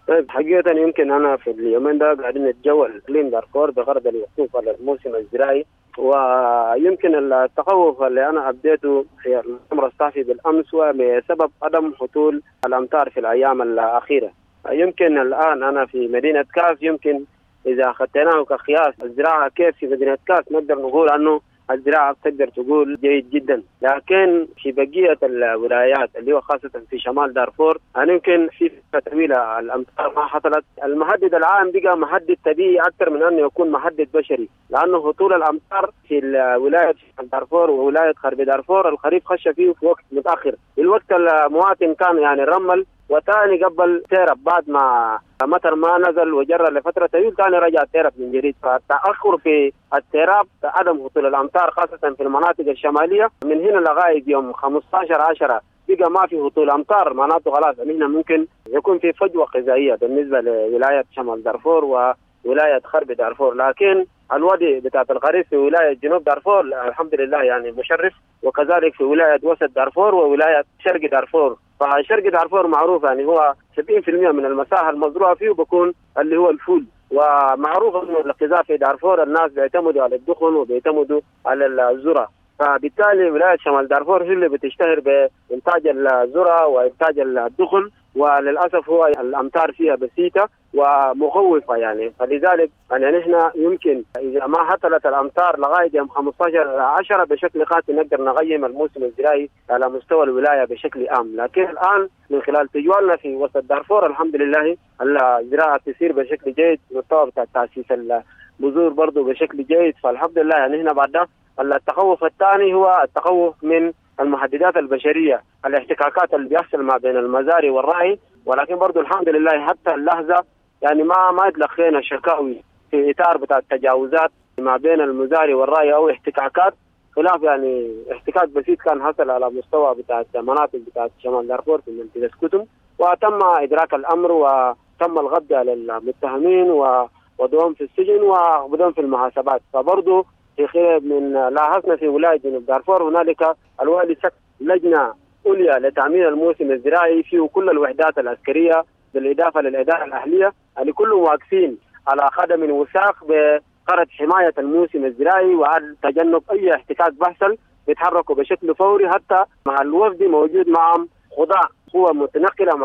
طيب حقيقة يمكن أنا في اليومين ده قاعدين نتجول إقليم دارفور بغرض الوقوف على الموسم الزراعي، ويمكن التخوف اللي أنا أبديته في المؤتمر الصحفي بالأمس هو بسبب عدم هطول الأمطار في الأيام الأخيرة. يمكن الآن أنا في مدينة كاس، يمكن إذا أخذناه كقياس الزراعة كيف في مدينة كاس نقدر نقول أنه الزراعة تقدر تقول جيد جدا، لكن في بقية الولايات اللي هو خاصة في شمال دارفور يمكن في فترة طويلة الأمطار ما حصلت. المهدد العام بقى مهدد طبيعي أكثر من أنه يكون مهدد بشري، لأنه هطول الأمطار في ولاية دارفور وولاية غرب دارفور الخريف خش فيه في وقت متأخر. الوقت المواطن كان يعني رمل وثاني قبل تيرب بعد ما مطر ما نزل وجرى لفترة طويلة ثاني رجع تيرب من جديد. فالتأخر في التيراب عدم هطول الأمطار خاصة في المناطق الشمالية من هنا لغاية يوم 15/10 بقى ما في هطول أمطار، معناته خلاص هنا ممكن يكون في فجوة غذائية بالنسبة لولاية شمال دارفور وولاية غرب دارفور. لكن الوضع بتاع الخريف في ولاية جنوب دارفور الحمد لله يعني مشرف، وكذلك في ولاية وسط دارفور وولاية شرق دارفور. فشرق دارفور معروف يعني هو 70% من المساحة المزروعة فيه بيكون اللي هو الفول، ومعروف انه الغذاء في دارفور الناس بيعتمدوا على الدخن وبيعتمدوا على الذرة، فبالتالي ولاية شمال دارفور هي اللي بتشتهر بإنتاج الذرة وإنتاج الدخن، وللأسف هو الأمطار فيها بسيطة ومخوفة يعني. فلذلك يعني نحن يمكن إذا ما هطلت الأمطار لغاية يوم 15/10 بشكل قاطع نقدر نقيم الموسم الزراعي على مستوى الولاية بشكل عام. لكن الآن من خلال تجوالنا في وسط دارفور الحمد لله الزراعة تسير بشكل جيد، مستوى بتاع تأسيس البذور برضو بشكل جيد، فالحمد لله يعني هنا بعد ده. التخوف الثاني هو التخوف من المحددات البشرية، الاحتكاكات اللي بيحصل ما بين المزارع والرعي، ولكن برضو الحمد لله حتى اللحظة يعني ما تلقينا شكاوي في إطار بتاع التجاوزات ما بين المزارع والرعي أو احتكاكات، خلاف يعني احتكاك بسيط كان حصل على مستوى بتاع مناطق بتاع شمال دارفور في منطقة كتم، وتم إدراك الأمر وتم القبض على المتهمين ووضعهم في السجن ووضعهم في المحاسبات. فبرضو في خلال من لاحظنا في ولاية جنوب دارفور هنالك الوالي شكل لجنة عليا لتأمين الموسم الزراعي فيه كل الوحدات العسكرية بالإضافة للإدارة الأهلية اللي كلهم واقفين على قدم وساق بغرض حماية الموسم الزراعي وعلى تجنب أي احتكاك بحصل، بيتحركوا بشكل فوري حتى مع الوفد موجود معهم خضاع قوة متنقلة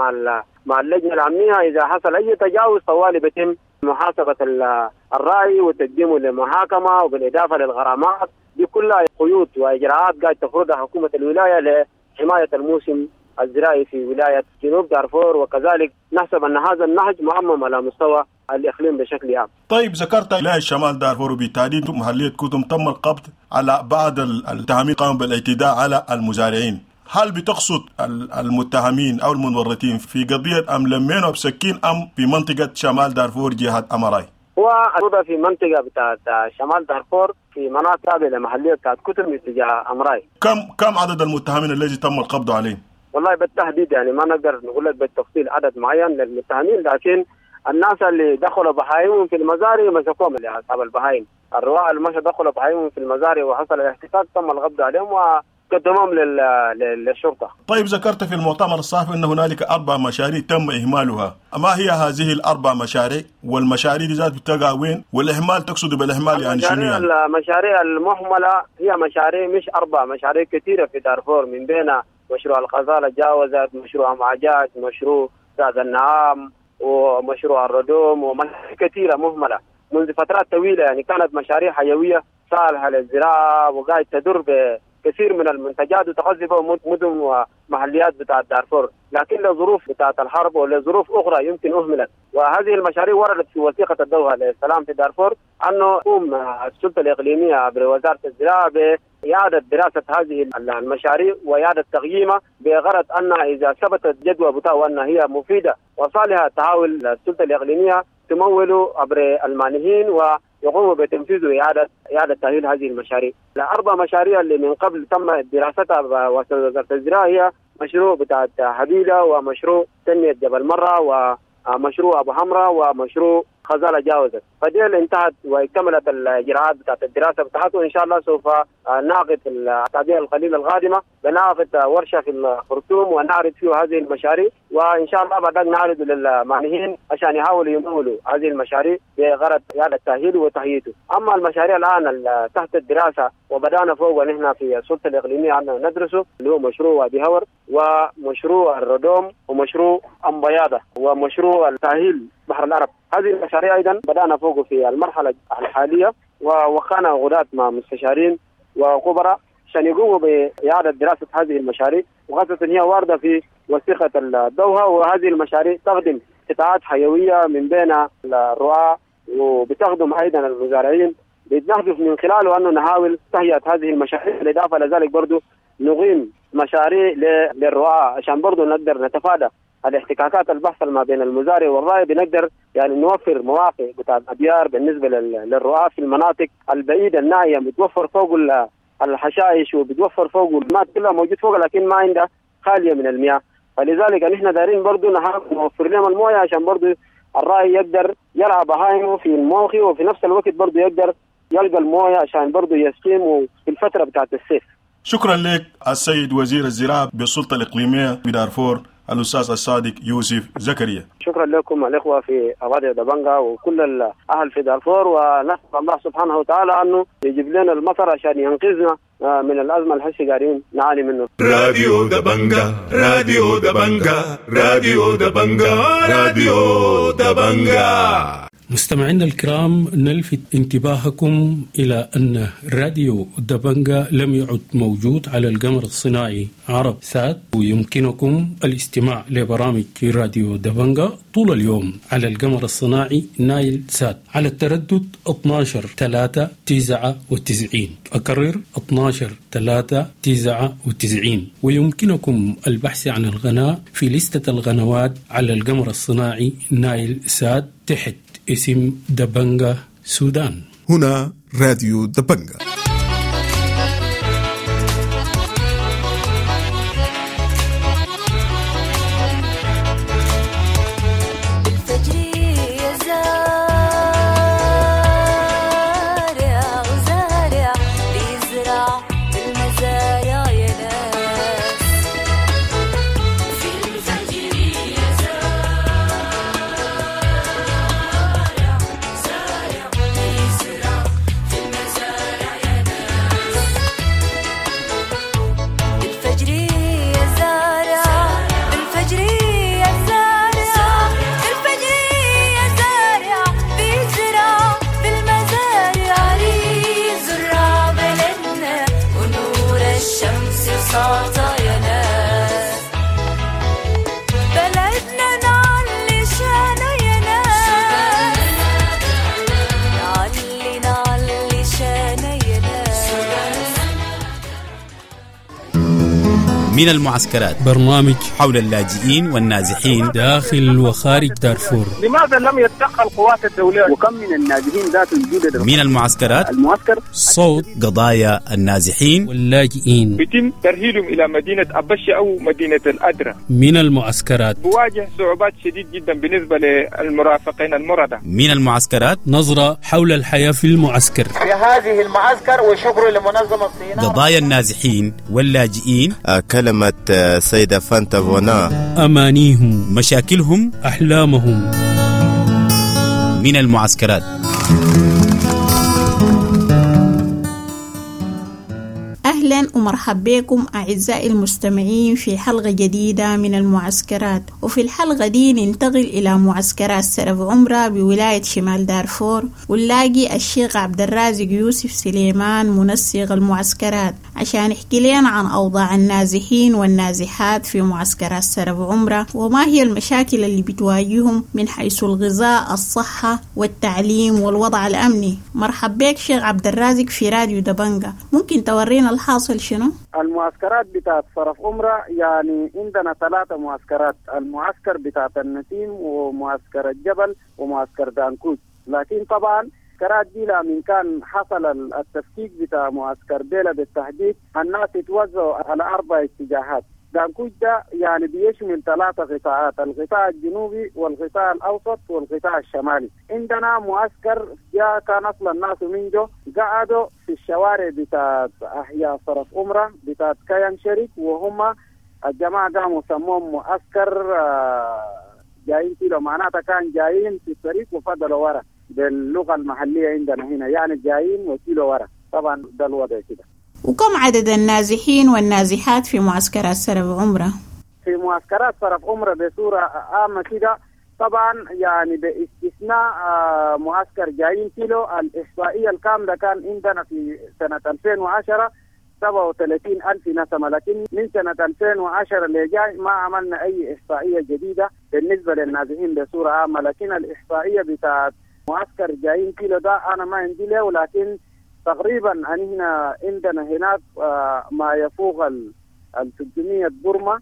مع اللجنة الأمنية. إذا حصل أي تجاوز طوالي بيتم محاسبة الرأي وتقديمه لمحاكمة، وبالإضافة للغرامات. دي كلها قيود وإجراءات قاعد تفرضها حكومة الولاية لحماية الموسم الزراعي في ولاية جنوب دارفور، وكذلك نحسب أن هذا النهج معمم على مستوى الإقليم بشكل عام. طيب ذكرت ولاية شمال دارفور وبالتحديد محلية كتم تم القبض على بعض المتهمين قاموا بالاعتداء على المزارعين. هل بتقصد المتهمين أو المتورطين في قضية أم لمينو بسكين أم في منطقة شمال دارفور جهة أمراي؟ هو في منطقة بتاعت شمال دارفور في مناطق تابعة لمحلية بتاعت كتم اتجاه أمراي. كم عدد المتهمين الذي تم القبض عليهم؟ والله بالتحديد يعني ما نقدر نقول لك بالتفصيل عدد معين للمتهمين، لكن الناس اللي دخلوا بهايمهم في المزارع مسكوهم، اللي أصحاب البهايم الرواء اللي مشوا دخلوا بهايمهم في المزارع وحصل الاحتكاك تم القبض عليهم وقدموهم للشرطة. طيب ذكرت في المؤتمر الصحفي أن هنالك 4 مشاريع تم إهمالها، ما هي هذه ال4 مشاريع؟ والمشاريع دي ذات بتقع وين؟ والإهمال تقصد بالإهمال يعني شنو يعني؟ المشاريع المهملة هي مشاريع مش 4 مشاريع كثيرة في دارفور، من بينها مشروع الغزالة جاوزت، مشروع معجات، مشروع ساد النعام، ومشروع الردوم، ومشاريع كثيرة مهملة منذ فترات طويلة. يعني كانت مشاريع حيوية صالحة للزراعة وقاعد تدر بكثير من المنتجات وتغذي بها مدن ومحليات بتاعت دارفور، لكن لظروف بتاعت الحرب ولظروف أخرى يمكن أهملت. وهذه المشاريع وردت في وثيقة الدوحة للسلام في دارفور أنه تقوم السلطة الإقليمية عبر وزارة الزراعة بإعادة دراسة هذه المشاريع وإعادة تقييمها بغرض أنها إذا ثبتت جدوى بتاعها أنها هي مفيدة وصالحة تحاول السلطة الإقليمية تمول عبر المانحين ويقوموا بتنفيذ إعادة تأهيل هذه المشاريع. الأربع مشاريع اللي من قبل تم دراستها بوزارة الزراعة هي مشروع بتاع حبيلة ومشروع تنمية جبل مرة ومشروع أبو حمراء ومشروع خزالة جاوزت. فديل انتهت واكتملت الإجراءات بتاعت الدراسة بتاعته، وإن شاء الله سوف نعقد في الأسابيع القليلة القادمة بنعقد ورشة في الخرطوم ونعرض فيه هذه المشاريع، وإن شاء الله بعد نعرض للمانحين عشان يحاولوا يمولوا هذه المشاريع بغرض إعادة تأهيله وتهيئته. أما المشاريع الآن تحت الدراسة وبدأنا فوق ونحن في السلطة الإقليمية عندنا ندرسه اللي هو مشروع وادي هور ومشروع الردوم ومشروع أمبياضة ومشروع التأهيل بحر العرب. هذه المشاريع أيضا بدأنا فوق في المرحلة الحالية ووقعنا عقودات مع مستشارين وخبراء عشان يقوموا بإعادة دراسة هذه المشاريع، وخاصة هي واردة في وثيقة الدوحة. وهذه المشاريع تخدم قطاعات حيوية من بين الرعاة وبتخدم أيضا المزارعين، بنهدف من خلاله أنه نحاول تهيئة هذه المشاريع. بالإضافة لذلك برضو نقيم مشاريع للرعاة عشان برضو نقدر نتفادى الاحتكاكات البحث ما بين المزارع والراعي، بنقدر يعني نوفر مواقع بتاع الابيار بالنسبه للرعاة في المناطق البعيده النائيه، بتوفر فوق الحشائش وبتوفر فوق الماء كلها موجود فوق، لكن ما عندها خاليه من المياه. فلذلك نحن دارين برضو نحاول نوفر لهم المويه عشان برضو الراعي يقدر يرعى بهايمه في الموقع، وفي نفس الوقت برضو يقدر يلقى المويه عشان برضو يسقيمه في الفتره بتاعت الصيف. شكرا لك السيد وزير الزراعه بالسلطه الاقليميه بدارفور الأستاذ الصادق يوسف زكريا. شكرا لكم الإخوة في راديو دبنجا وكل الأهل في دارفور، ونسأل الله سبحانه وتعالى أنه يجيب لنا المطر عشان ينقذنا من الأزمة الحسي قاعدين نعاني منه. راديو دبنجا، راديو دبنجا، راديو دبنجا، راديو دبنجا. مستمعينا الكرام، نلفت انتباهكم إلى أن راديو دبنجا لم يعد موجود على القمر الصناعي عرب سات، ويمكنكم الاستماع لبرامج راديو دبنجا طول اليوم على القمر الصناعي نايل سات على التردد 12-399. أكرر 12-399. ويمكنكم البحث عن القناة في لستة القنوات على القمر الصناعي نايل سات تحت اسم دبنجا سودان. هنا راديو دبنجا. من المعسكرات، برنامج حول اللاجئين والنازحين داخل وخارج دارفور. لماذا لم يتدخل القوات الدولية؟ وكم من النازحين ذات الجدد من المعسكرات؟ المعسكر صوت قضايا النازحين واللاجئين. يتم ترحيلهم إلى مدينة أبشة أو مدينة الأدرة. من المعسكرات بواجه صعوبات شديد جدا بالنسبة للمرافقين المرضى. من المعسكرات نظرة حول الحياة في المعسكر، في هذه المعسكر، وشكر لمنظمة الصينية. قضايا النازحين واللاجئين، كلمة سيدة فانتا فونا، أمانيهم، مشاكلهم، أحلامهم. من المعسكرات. أهلا أهلا ومرحب بكم أعزائي المستمعين في حلقة جديدة من المعسكرات. وفي الحلقة دي ننتقل إلى معسكرات سرف عمرة بولاية شمال دارفور، ونلاقي الشيخ عبد الرازق يوسف سليمان منسق المعسكرات عشان يحكي لنا عن أوضاع النازحين والنازحات في معسكرات سرف عمرة، وما هي المشاكل اللي بتواجههم من حيث الغذاء، الصحة والتعليم والوضع الأمني. مرحب بك شيخ عبد الرازق في راديو دبنجة، ممكن تورينا الحاصل شنو؟ المعسكرات بتاعت صرف عمرة يعني عندنا 3 معسكرات، المعسكر بتاعت النسيم ومعسكر الجبل ومعسكر دانكوت. لكن طبعا المعسكرات دي من كان حصل التفكيك بتاع معسكر بيلا بالتحديد الناس اتوزعوا على 4 اتجاهات. دانكوت ده يعني بيشمل 3 قطاعات، القطاع الجنوبي والقطاع الأوسط والقطاع الشمالي. عندنا معسكر جاء كان أصلا الناس من جو قعدوا في الشوارع بتاعت أحياء صرف عمرة بتاعت كيان شريك، وهم الجماعة قاموا سموهم معسكر جايين كيلو، معناتها كان جايين في الطريق وفضلوا ورا باللغة المحلية عندنا هنا، يعني جايين وكيلو ورا. طبعا ده الوضع كده. وكم عدد النازحين والنازحات في معسكرات سرف عمرة؟ في معسكرات صرف عمرة بصورة عامة كده طبعا يعني باستثناء معسكر جايين كيلو، الإحصائية الكاملة كان عندنا في سنة 2010 37,000 نسمة، لكن من سنة 2010 اللي جاي ما عملنا أي إحصائية جديدة بالنسبة للنازحين بصورة عامة. لكن الإحصائية بتاعت معسكر جايين كيلو ده أنا ما عندي له، ولكن تقريبا هنا عندنا هناك ما يفوق ال 300 برمة،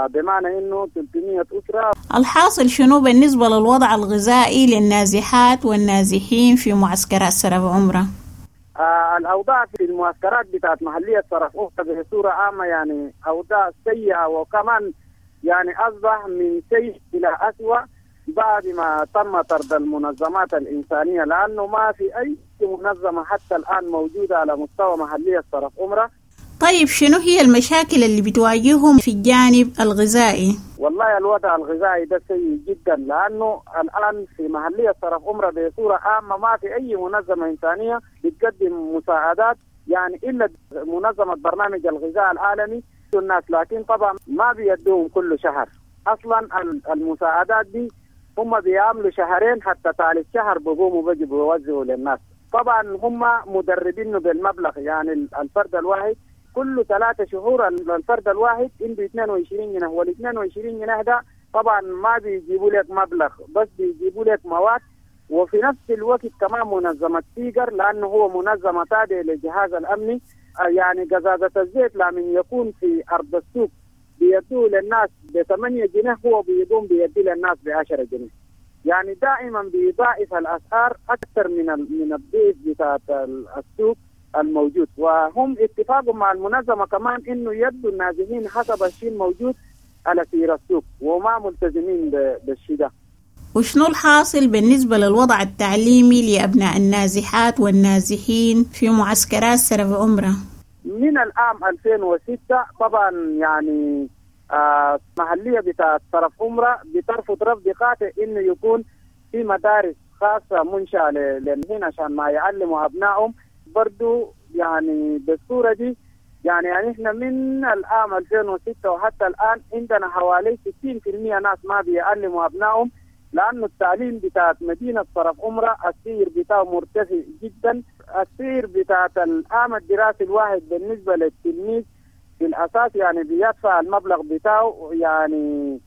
بمعنى انه 300 اسره. الحاصل شنو بالنسبه للوضع الغذائي للنازحات والنازحين في معسكرات سرف عمره؟ الاوضاع في المعسكرات بتاعت محليه سرف عمره بصوره عامه يعني اوضاع سيئه، وكمان يعني اصبح من سيء الى اسوأ بعد ما تم طرد المنظمات الإنسانية، لأنه ما في أي منظمة حتى الآن موجودة على مستوى محلية صرف عمرة. طيب شنو هي المشاكل اللي بتواجههم في الجانب الغذائي؟ والله الوضع الغذائي ده سيء جدا، لأنه الآن في محلية صرف عمرة بصورة عامة ما في أي منظمة إنسانية بتقدم مساعدات، يعني إلا منظمة برنامج الغذاء العالمي الناس، لكن طبعا ما بيدوهم كل شهر. أصلا المساعدات دي هم بيعملوا شهرين حتى ثالث شهر بقوموا بيجوا بيوزعوا للناس. طبعا هم مدربينه بالمبلغ، يعني الفرد الواحد كل 3 شهور الفرد الواحد عنده 22 جنيه، وال 22 جنيه ده طبعا ما بيجيبوا لك مبلغ، بس بيجيبوا لك مواد. وفي نفس الوقت كمان منظمة سيجر، لأنه هو منظمة تابعة للجهاز الأمني، يعني قزازة الزيت لمن يكون في أرض السوق بيدوه للناس ب8 جنيه، هو بيقوم بيدي للناس ب10 جنيه. يعني دائما بيضاعف الأسعار أكثر من الضيف بتاعت السوق الموجود. وهم اتفاقوا مع المنظمة كمان إنه يدوا النازحين حسب الشيء الموجود على سير السوق، وما ملتزمين بالشيء ده. وشنو الحاصل بالنسبة للوضع التعليمي لأبناء النازحات والنازحين في معسكرات سرف عمرة؟ من العام 2006 طبعا يعني محلية بتاعت صرف عمرة بترفض رفض قاطع إنه يكون في مدارس خاصة منشأة للهنا عشان ما يعلموا أبنائهم. برضو يعني بالصورة دي يعني إحنا من العام 2006 وحتى الآن عندنا حوالي 60% ناس ما بيعلموا أبنائهم، لأنه التعليم بتاعت مدينة صرف عمرة السير بتاعه مرتفع جدا. السير بتاعت العام الدراسي الواحد بالنسبة للتلميذ في الأساس يعني بيدفع المبلغ بتاعه يعني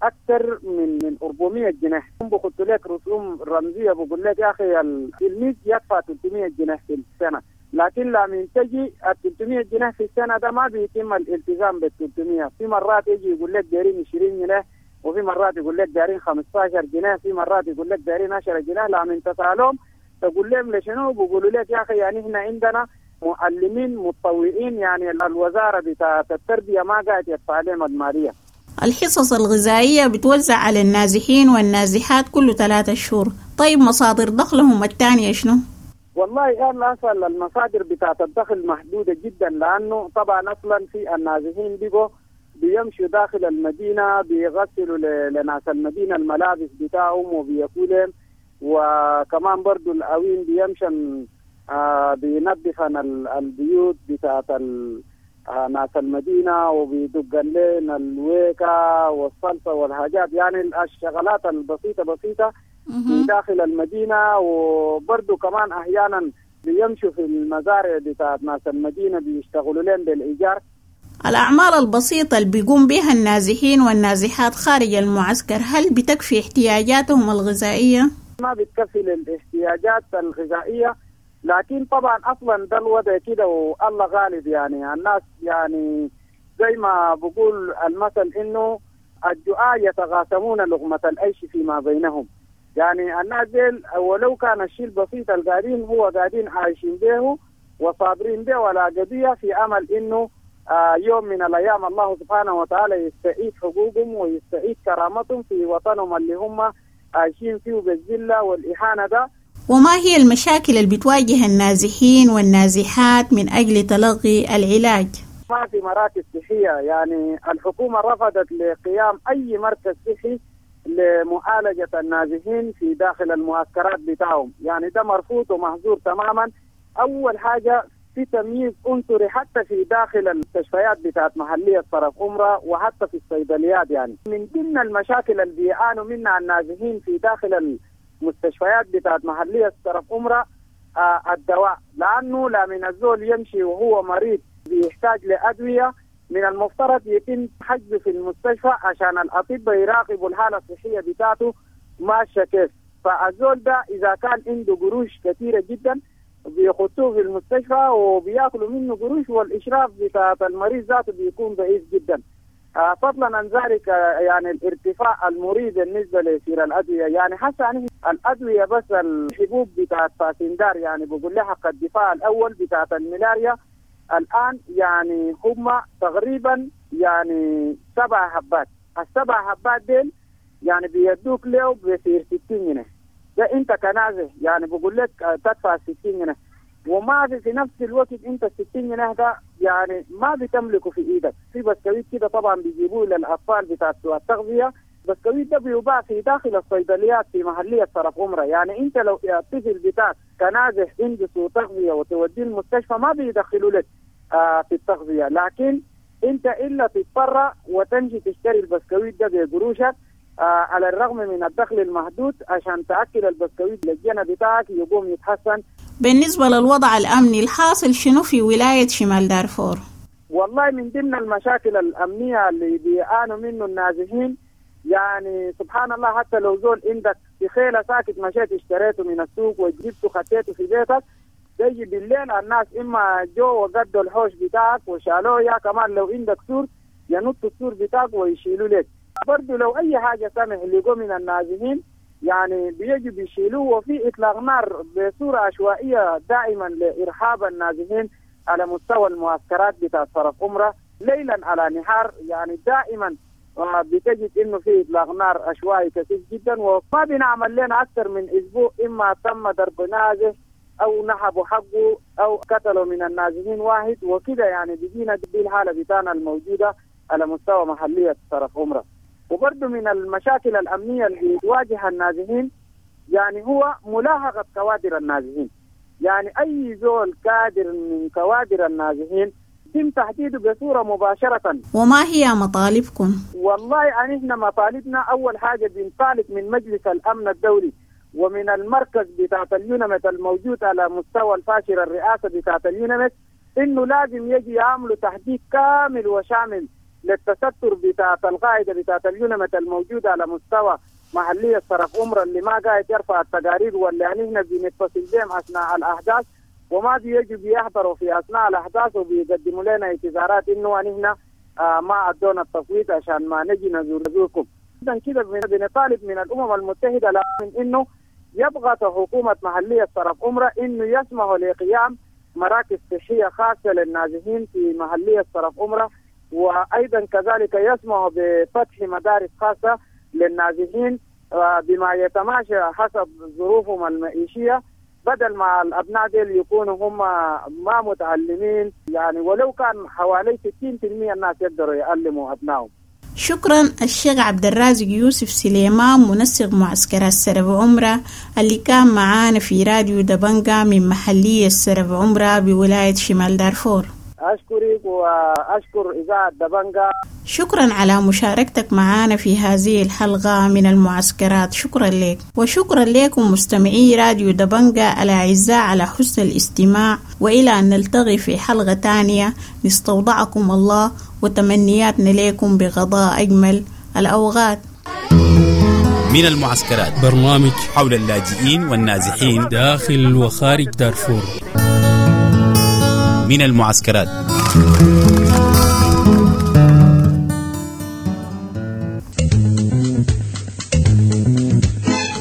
أكثر من 400 جنيه. بقول لك رسوم رمزية، بقول لك يا أخي التلميذ يدفع 300 جنيه في السنة، لكن لما تجي 300 جنيه في السنة ده ما بيتم الالتزام بال 300. في مرات يجي يقول لك دايرين 20 جنيه، وفي مرات يقول لك دايرين 15 جنيه، في مرات يقول لك دايرين 10 جنيه. لما تسألهم تقول لهم لشنو، بيقولوا لك يا أخي يعني إحنا عندنا معلمين متطوعين، يعني الوزارة بتاعت التربية ما قاعد يدفع لهم المالية. الحصص الغذائية بتوزع على النازحين والنازحات كل 3 شهور، طيب مصادر دخلهم الثانية شنو؟ والله أنا أصلا المصادر بتاعت الدخل محدودة جدا، لأنه طبعا أصلا في النازحين بيجوا بيمشوا داخل المدينة بيغسلوا لناس المدينة الملابس بتاعهم وبياكلهم، وكمان برضو الأوين بيمشن بينظفن البيوت بتاعت ناس المدينة، وبيدقن لنا الويكة والصلصة والحاجات، يعني الشغلات البسيطة بسيطة في داخل المدينة. وبرضو كمان أحيانا بيمشوا في المزارع بتاعت ناس المدينة بيشتغلوا لهم بالإيجار. الأعمال البسيطة اللي بيقوم بها النازحين والنازحات خارج المعسكر هل بتكفي احتياجاتهم الغذائية؟ ما بتكفي للاحتياجات الغذائية، لكن طبعا أصلا ده الوضع كده والله غالب. يعني الناس يعني زي ما بقول المثل إنه الجوعى يتغاسمون لقمة العيش فيما بينهم. يعني الناس ديل ولو كان الشيء البسيط القاعدين هو قاعدين عايشين به وصابرين به ولا قضية، في أمل إنه يوم من الأيام الله سبحانه وتعالى يستعيد حقوقهم ويستعيد كرامتهم في وطنهم اللي هم عايشين فيه بالذلة والإهانة ده. وما هي المشاكل اللي بتواجه النازحين والنازحات من أجل تلقي العلاج؟ ما في مراكز صحية، يعني الحكومة رفضت لقيام أي مركز صحي لمعالجة النازحين في داخل المعسكرات بتاعهم، يعني ده مرفوض ومحظور تماما. أول حاجة في تمييز عنصري حتى في داخل المستشفيات بتاعت محلية طرف أمرا وحتى في الصيدليات. يعني من ضمن المشاكل اللي بيعانوا منها النازحين في داخل المستشفيات بتاعت محلية طرف أمرا الدواء، لأنه لا من الزول يمشي وهو مريض بيحتاج لأدوية، من المفترض يتم حجزه في المستشفى عشان الأطباء يراقبوا الحالة الصحية بتاعته ماشية كيف. فالزول ده إذا كان عنده قروش كثيرة جدا بيخطوه في المستشفى وبياكلوا منه قروش، والإشراف بتاع المريض ذاته بيكون ضعيف جدا. فضلا عن ذلك يعني الارتفاع المريب بالنسبة لسير الأدوية، يعني حتى يعني الأدوية بس الحبوب بتاعت فاسندار، يعني بقول لها حق الدفاع الأول بتاعت الملاريا الآن يعني هم تقريبا يعني 7 حبات، ال7 حبات ديل يعني بيدوك له بسير 60 جنيه. ده انت كنازح يعني بقول لك تدفع 60 جنيه، وما في نفس الوقت انت 60 جنيه ده يعني ما بتملكه في ايدك. في بسكويت كده طبعا بيجيبوه للاطفال بتاع التغذيه، بسكويت ده بيباع في داخل الصيدليات في محليه طرف عمره. يعني انت لو الطفل بتاعك كنازح عنده سوء تغذيه وتوديه المستشفى ما بيدخلوا لك في التغذيه، لكن انت الا تضطر وتمشي تشتري البسكويت ده بقروشك على الرغم من الدخل المحدود عشان تأكل البسكويت للجنة بتاعك يقوم يتحسن. بالنسبة للوضع الأمني الحاصل شنو في ولاية شمال دارفور؟ والله من ضمن المشاكل الأمنية اللي بيعانوا منه النازحين، يعني سبحان الله حتى لو زول عندك في خيلة ساكت مشيت اشتريته من السوق وجبته خطيته في بيتك، تيجي بالليل الناس إما جو وقدوا الحوش بتاعك وشالوه، يا كمان لو عندك سور ينطوا السور بتاعك ويشيلوا لك. برضو لو أي حاجة سمح اللي جو من النازحين يعني بيجوا بيشيلوه، وفي إطلاق نار بصورة عشوائية دائما لإرهاب النازحين على مستوى المعسكرات بتاع طرف أمرة ليلا على نهار. يعني دائما بتجد إنه في إطلاق نار عشوائي كثير جدا، وما بنعمل لنا أكثر من أسبوع إما تم ضرب نازح أو نهبوا حقه أو قتلوا من النازحين واحد وكده. يعني بيجينا دي الحالة بتاعنا الموجودة على مستوى محلية طرف أمرة. وبرضه من المشاكل الأمنية اللي تواجه النازحين يعني هو ملاحقة كوادر النازحين. يعني أي زول كادر من كوادر النازحين يتم تحديده بصورة مباشرة. وما هي مطالبكم؟ والله يعني إحنا مطالبنا أول حاجة بنطالب من مجلس الأمن الدولي ومن المركز بتاعت اليونمت الموجود على مستوى الفاشر الرئاسة بتاعت اليونمت إنه لازم يجي يعملوا تحديد كامل وشامل للتستر بتاعت القاعدة بتاعت اليونمت الموجودة على مستوى محلية طرف أمرا اللي ما قاعد يرفع التقارير واللي يعني احنا بنتصل بهم أثناء الأحداث وما بيجوا بيحضروا في أثناء الأحداث وبيقدموا لنا اعتذارات إنه احنا ما أدونا التصويت عشان ما نجي نزوركم. إذا كده بنطالب من الأمم المتحدة من إنه يضغط حكومة محلية طرف أمرا إنه يسمحوا لقيام مراكز صحية خاصة للنازحين في محلية طرف أمرا، وأيضا كذلك يسمح بفتح مدارس خاصة للنازحين بما يتماشى حسب ظروفهم المعيشية، بدل ما الأبناء ديل يكونوا هم ما متعلمين، يعني ولو كان حوالي 60% الناس يقدروا يعلموا أبنائهم. شكرا الشيخ عبد الرازق يوسف سليمان منسق معسكرات سرف عمرة اللي كان معانا في راديو دبنجا من محلية سرف عمرة بولاية شمال دارفور. أشكرك وأشكر إذاعة دبنجا. شكرا على مشاركتك معنا في هذه الحلقة من المعسكرات، شكرا لك. وشكرا لكم مستمعي راديو دبنجا الأعزاء على حسن الاستماع، وإلى أن نلتقي في حلقة تانية نستودعكم الله وتمنياتنا لكم بغضاء أجمل الأوقات. من المعسكرات، برنامج حول اللاجئين والنازحين داخل وخارج دارفور. من المعسكرات.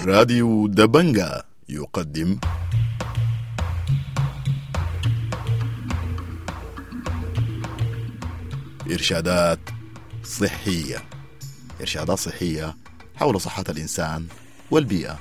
راديو دبنجا يقدم إرشادات صحية، إرشادات صحية حول صحة الإنسان والبيئة.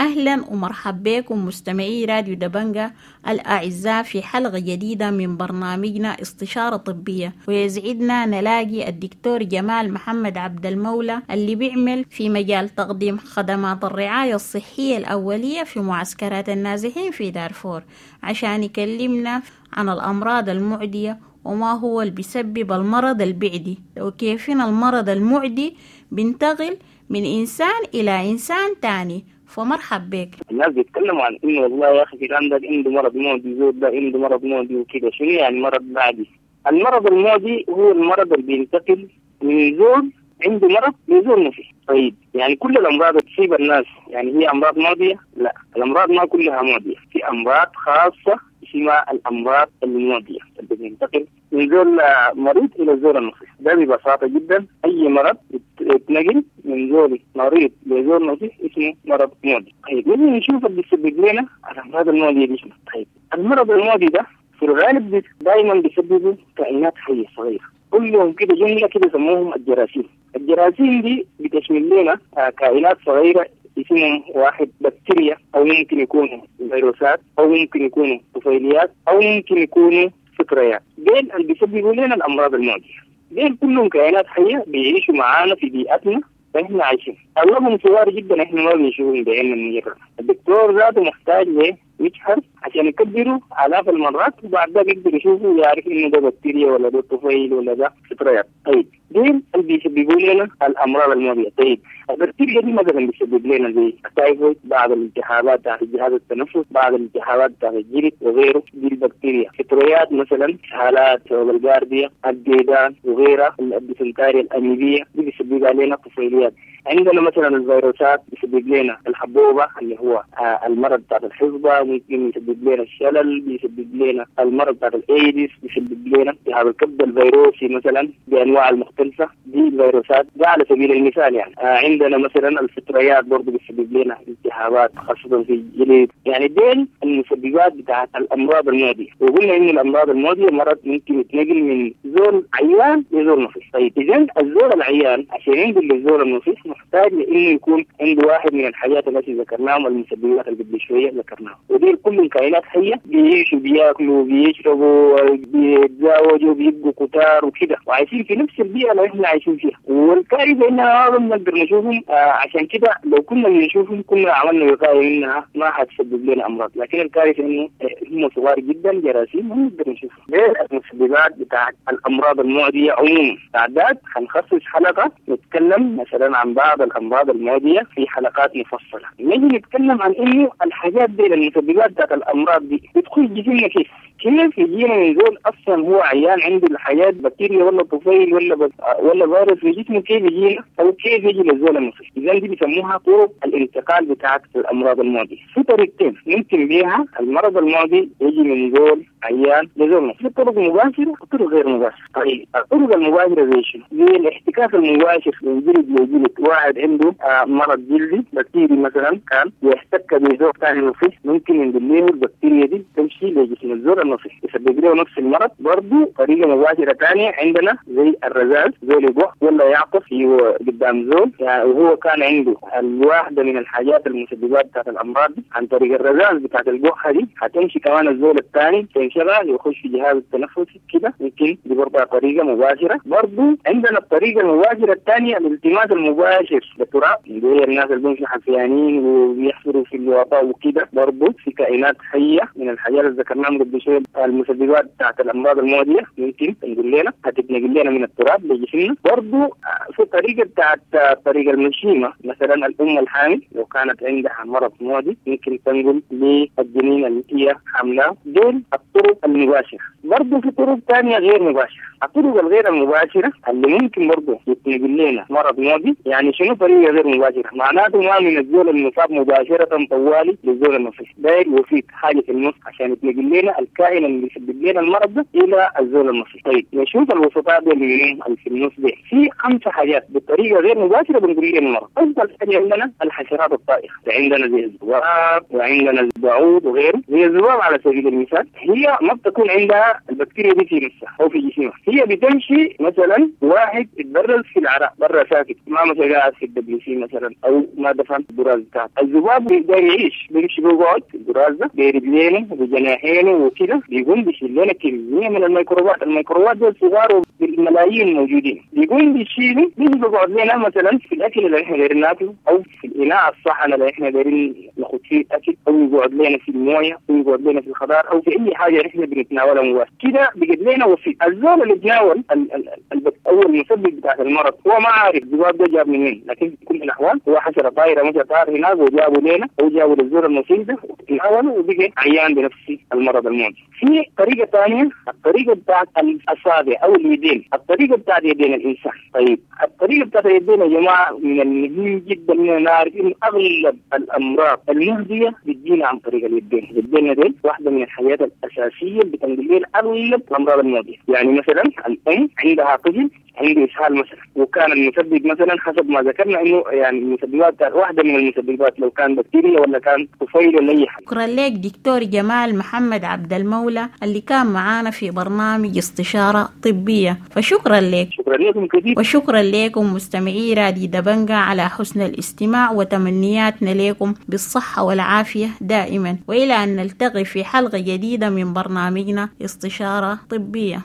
أهلا ومرحبا بكم مستمعي راديو دبنجا الأعزاء في حلقة جديدة من برنامجنا استشارة طبية، ويسعدنا نلاقي الدكتور جمال محمد عبد المولى اللي بيعمل في مجال تقديم خدمات الرعاية الصحية الأولية في معسكرات النازحين في دارفور، عشان يكلمنا عن الأمراض المعدية وما هو اللي بيسبب المرض البعدي، وكيفين المرض المعدي بينتقل من إنسان إلى إنسان تاني. فمرحب بك. الناس بيتكلموا عن انه والله يا اخي فلان ده عنده مرض معدي، زول ده عنده مرض معدي وكده. شنو يعني مرض معدي؟ المرض المعدي هو المرض اللي بينتقل من زول عنده مرض لزول ما فيه. طيب يعني كل الامراض تصيب الناس يعني هي امراض معديه؟ لا، الامراض ما كلها معديه، في امراض خاصه اسمها الامراض المعديه اللي بينتقل من زول مريض الى زول النصيح. ده ببساطه جدا اي مرض يتنقل من زول مريض لزول نصيح اسمه مرض معدي. طيب نجي نشوف اللي بيسبب لنا الامراض المعديه دي شنو. طيب المرض المعدي ده في الغالب دائما بيسببه كائنات حيه صغيره، كلهم كده جمله كده يسموهم الجراثيم. الجراثيم دي بتشمل لنا كائنات صغيره اسمهم واحد بكتيريا، او ممكن يكونوا فيروسات، او ممكن يكونوا طفيليات، او ممكن يكونوا فطريات. ديل اللي بيسببوا لنا الامراض المعديه. ديل كلهم كائنات حيه بيعيشوا معانا في بيئتنا فاحنا عايشين. اغلبهم صغار جدا، احنا ما بنشوفهم بعيننا المجرد. الدكتور ذاته محتاج لمجهر عشان يكبروا آلاف المرات، وبعد ده بيقدر يشوفوا ويعرف انه ده بكتيريا ولا ده طفيل ولا ده فطريات. طيب ديل اللي بيسببوا لنا الامراض المعديه. طيب البكتيريا دي مثلا بيسبب لنا زي التايفويد، بعض الالتهابات بتاعت الجهاز التنفس، بعض الالتهابات بتاعت الجلد وغيره. دي البكتيريا. فطريات مثلا حالات الجارديا، الديدان وغيرها، الديسنتاريا الاميبيه دي بيسبب علينا طفيليات. عندنا مثلا الفيروسات بيسبب لنا الحبوبه اللي هو المرض بتاع الحصبه، ممكن يسبب لنا الشلل، بيسبب لنا المرض بتاع الايدز، بيسبب لنا التهاب الكبد الفيروسي مثلا بانواع المختلفه. دي الفيروسات ده على سبيل المثال يعني. عندنا مثلا الفطريات برضه بتسبب لنا التهابات خاصه في الجلد. يعني دين المسببات بتاعت الامراض المعديه. وقلنا ان الامراض المعديه مرض ممكن يتنقل من زول عيان لزول نصيح. طيب اذا الزول العيان عشان ينقل للزول النصيح محتاج لانه يكون عنده واحد من الحاجات التي ذكرناهم، المسببات اللي قبل شويه ذكرناهم. ودي كلهم كائنات حيه بيعيشوا، بياكلوا، بيشربوا، بيتزاوجوا، بيبقوا كتار وكده، وعايشين في نفس البيئه اللي احنا عايشين فيها. والكارثه انها ما بنقدر نشوفهم. عشان كده لو كنا بنشوفهم كنا عملنا وقايه منها ما حتسبب لنا امراض، لكن الكارثه انه هم صغار جدا جراثيم ما بنقدر نشوفهم. دي المسببات بتاعت الامراض المعديه عموما. بعد حنخصص حلقه نتكلم مثلا عن بعض الامراض المعديه في حلقات مفصله. نجي نتكلم عن انه الحاجات دي المسببات بتاعت الامراض دي بتخش جسمنا كيف؟ كيف يجينا من زول اصلا هو عيان عنده الحاجات بكتيريا ولا طفيل ولا فيروس في جسمه، كيف يجينا او كيف يجي للزول النصيح؟ اذا دي بيسموها طرق الانتقال بتاعت الامراض المعديه. في طريقتين ممكن بيها المرض المعدي يجي من زول عيان لزول نصيح، في طرق مباشره وطرق غير مباشره. طيب الطرق المباشره زي شنو؟ زي الاحتكاك المباشر من جلد لجلد واحد عنده مرض جلدي بكتيري مثلا كان يحتك بزول ثاني نصيح، ممكن ينقل له البكتيريا دي تمشي لجسم الزول النصيح يسبب له نفس المرض. برضه طريقه مباشرة ثانية عندنا زي الرذاذ، زول يقع ولا يعطف قدام زول يعني وهو كان عنده الواحدة من الحاجات المسببات بتاعت الامراض دي، عن طريق الرذاذ بتاعت القحه دي هتمشي كمان الزول الثاني تنشغل يخش في جهاز التنفسي كده، ممكن دي برضه طريقه مباشرة. برضه عندنا الطريقة المباشرة الثانية الالتماس المباشر للتراب، اللي هي الناس اللي بيمشوا حفيانين وبيحفروا في الوطاء وكده، برضه في كائنات حيه من الحاجات اللي ذكرناها قبل شوية المسببات بتاعت الامراض المعدية ممكن تنقل لنا، هتتنقل لنا من التراب لجسمنا. برضه في طريقه بتاعت طريقه المشيمه، مثلا الام الحامل لو كانت عندها مرض معدي ممكن تنقل للجنين اللي هي حاملاه. دول الطرق المباشرة. برضه في طرق ثانية غير مباشرة، الطرق الغير المباشرة اللي ممكن برضه يتنقل لنا مرض معدي. يعني شنو طريقه غير مباشرة؟ معناته ما من الزول المصاب مباشرة طوالي للزول النصيح، داير وسيط حاجة في النص عشان يتنقل لنا الكائن اللي يسبب لنا المرض ده الى الزول النصيح. طيب نشوف الوسطاء دول اللي في النص دي، في 5 حاجات بطريقة غير مباشرة بنقول لنا المرض. افضل حاجة عندنا الحشرات الطائرة، عندنا زي الذباب وعندنا البعوض وغيره. زي الذباب على سبيل المثال هي ما بتكون عندها البكتيريا دي في نفسها او في جسمها، هي بتمشي مثلا واحد اتبرز في العراء برا ساكت، ما مثلا قاعد في ال WC مثلا او ما دفن البراز بتاعته، الذباب بيقدر يعيش، بيمشي بيقعد في البراز ده برجلينه وبجناحينه وكده، بيقوم بيشيل لنا كمية من الميكروبات، الميكروبات دول صغار وبالملايين موجودين، بيقوم بيشيلوا بيجي بيقعد لنا مثلا في الاكل اللي احنا دايرين ناكله او في الاناء الصحن اللي احنا دايرين ناخذ فيه الاكل، او يقعد لنا في المويه او يقعد لنا في الخضار او في اي حاجة احنا بنتناولها مباشرة كده، بيجد لنا وسيط. الزول اللي تناول او المسبب بتاع المرض هو ما عارف الذباب ده جاب من وين، لكن في كل الاحوال هو حشرة طايره مشى طار هناك وجابوا لنا او جابوا للزول المصيب ده وتناوله وبقى عيان بنفس المرض المعدي. في طريقه ثانية، الطريقة بتاعت الاصابع او اليدين، الطريقة بتاعت يدين الانسان. طيب الطريقة بتاعت اليدين يا جماعة من المهم جدا اننا نعرف انه اغلب الامراض المهدية بتجينا عن طريق اليدين. اليدين دي واحدة من الحاجات الاساسية اللي بتنقل لنا اغلب الامراض المعدية. يعني مثلا الام عندها طفل عنده اسهال مثلا، وكان المسبب مثلا حسب ما ذكرنا انه يعني المسببات واحدة من المسببات لو كان بكتيريا ولا كان طفيل ولا اي حاجة. شكرا لك دكتور جمال محمد عبد المولى اللي كان معانا في برنامج استشاره طبية، فشكرا لك. شكرا لكم كثير، وشكرا لكم مستمعي راديو دبنجا على حسن الاستماع، وتمنياتنا لكم بالصحة والعافية دائما، والى ان نلتقي في حلقة جديدة من برنامجنا استشاره طبية.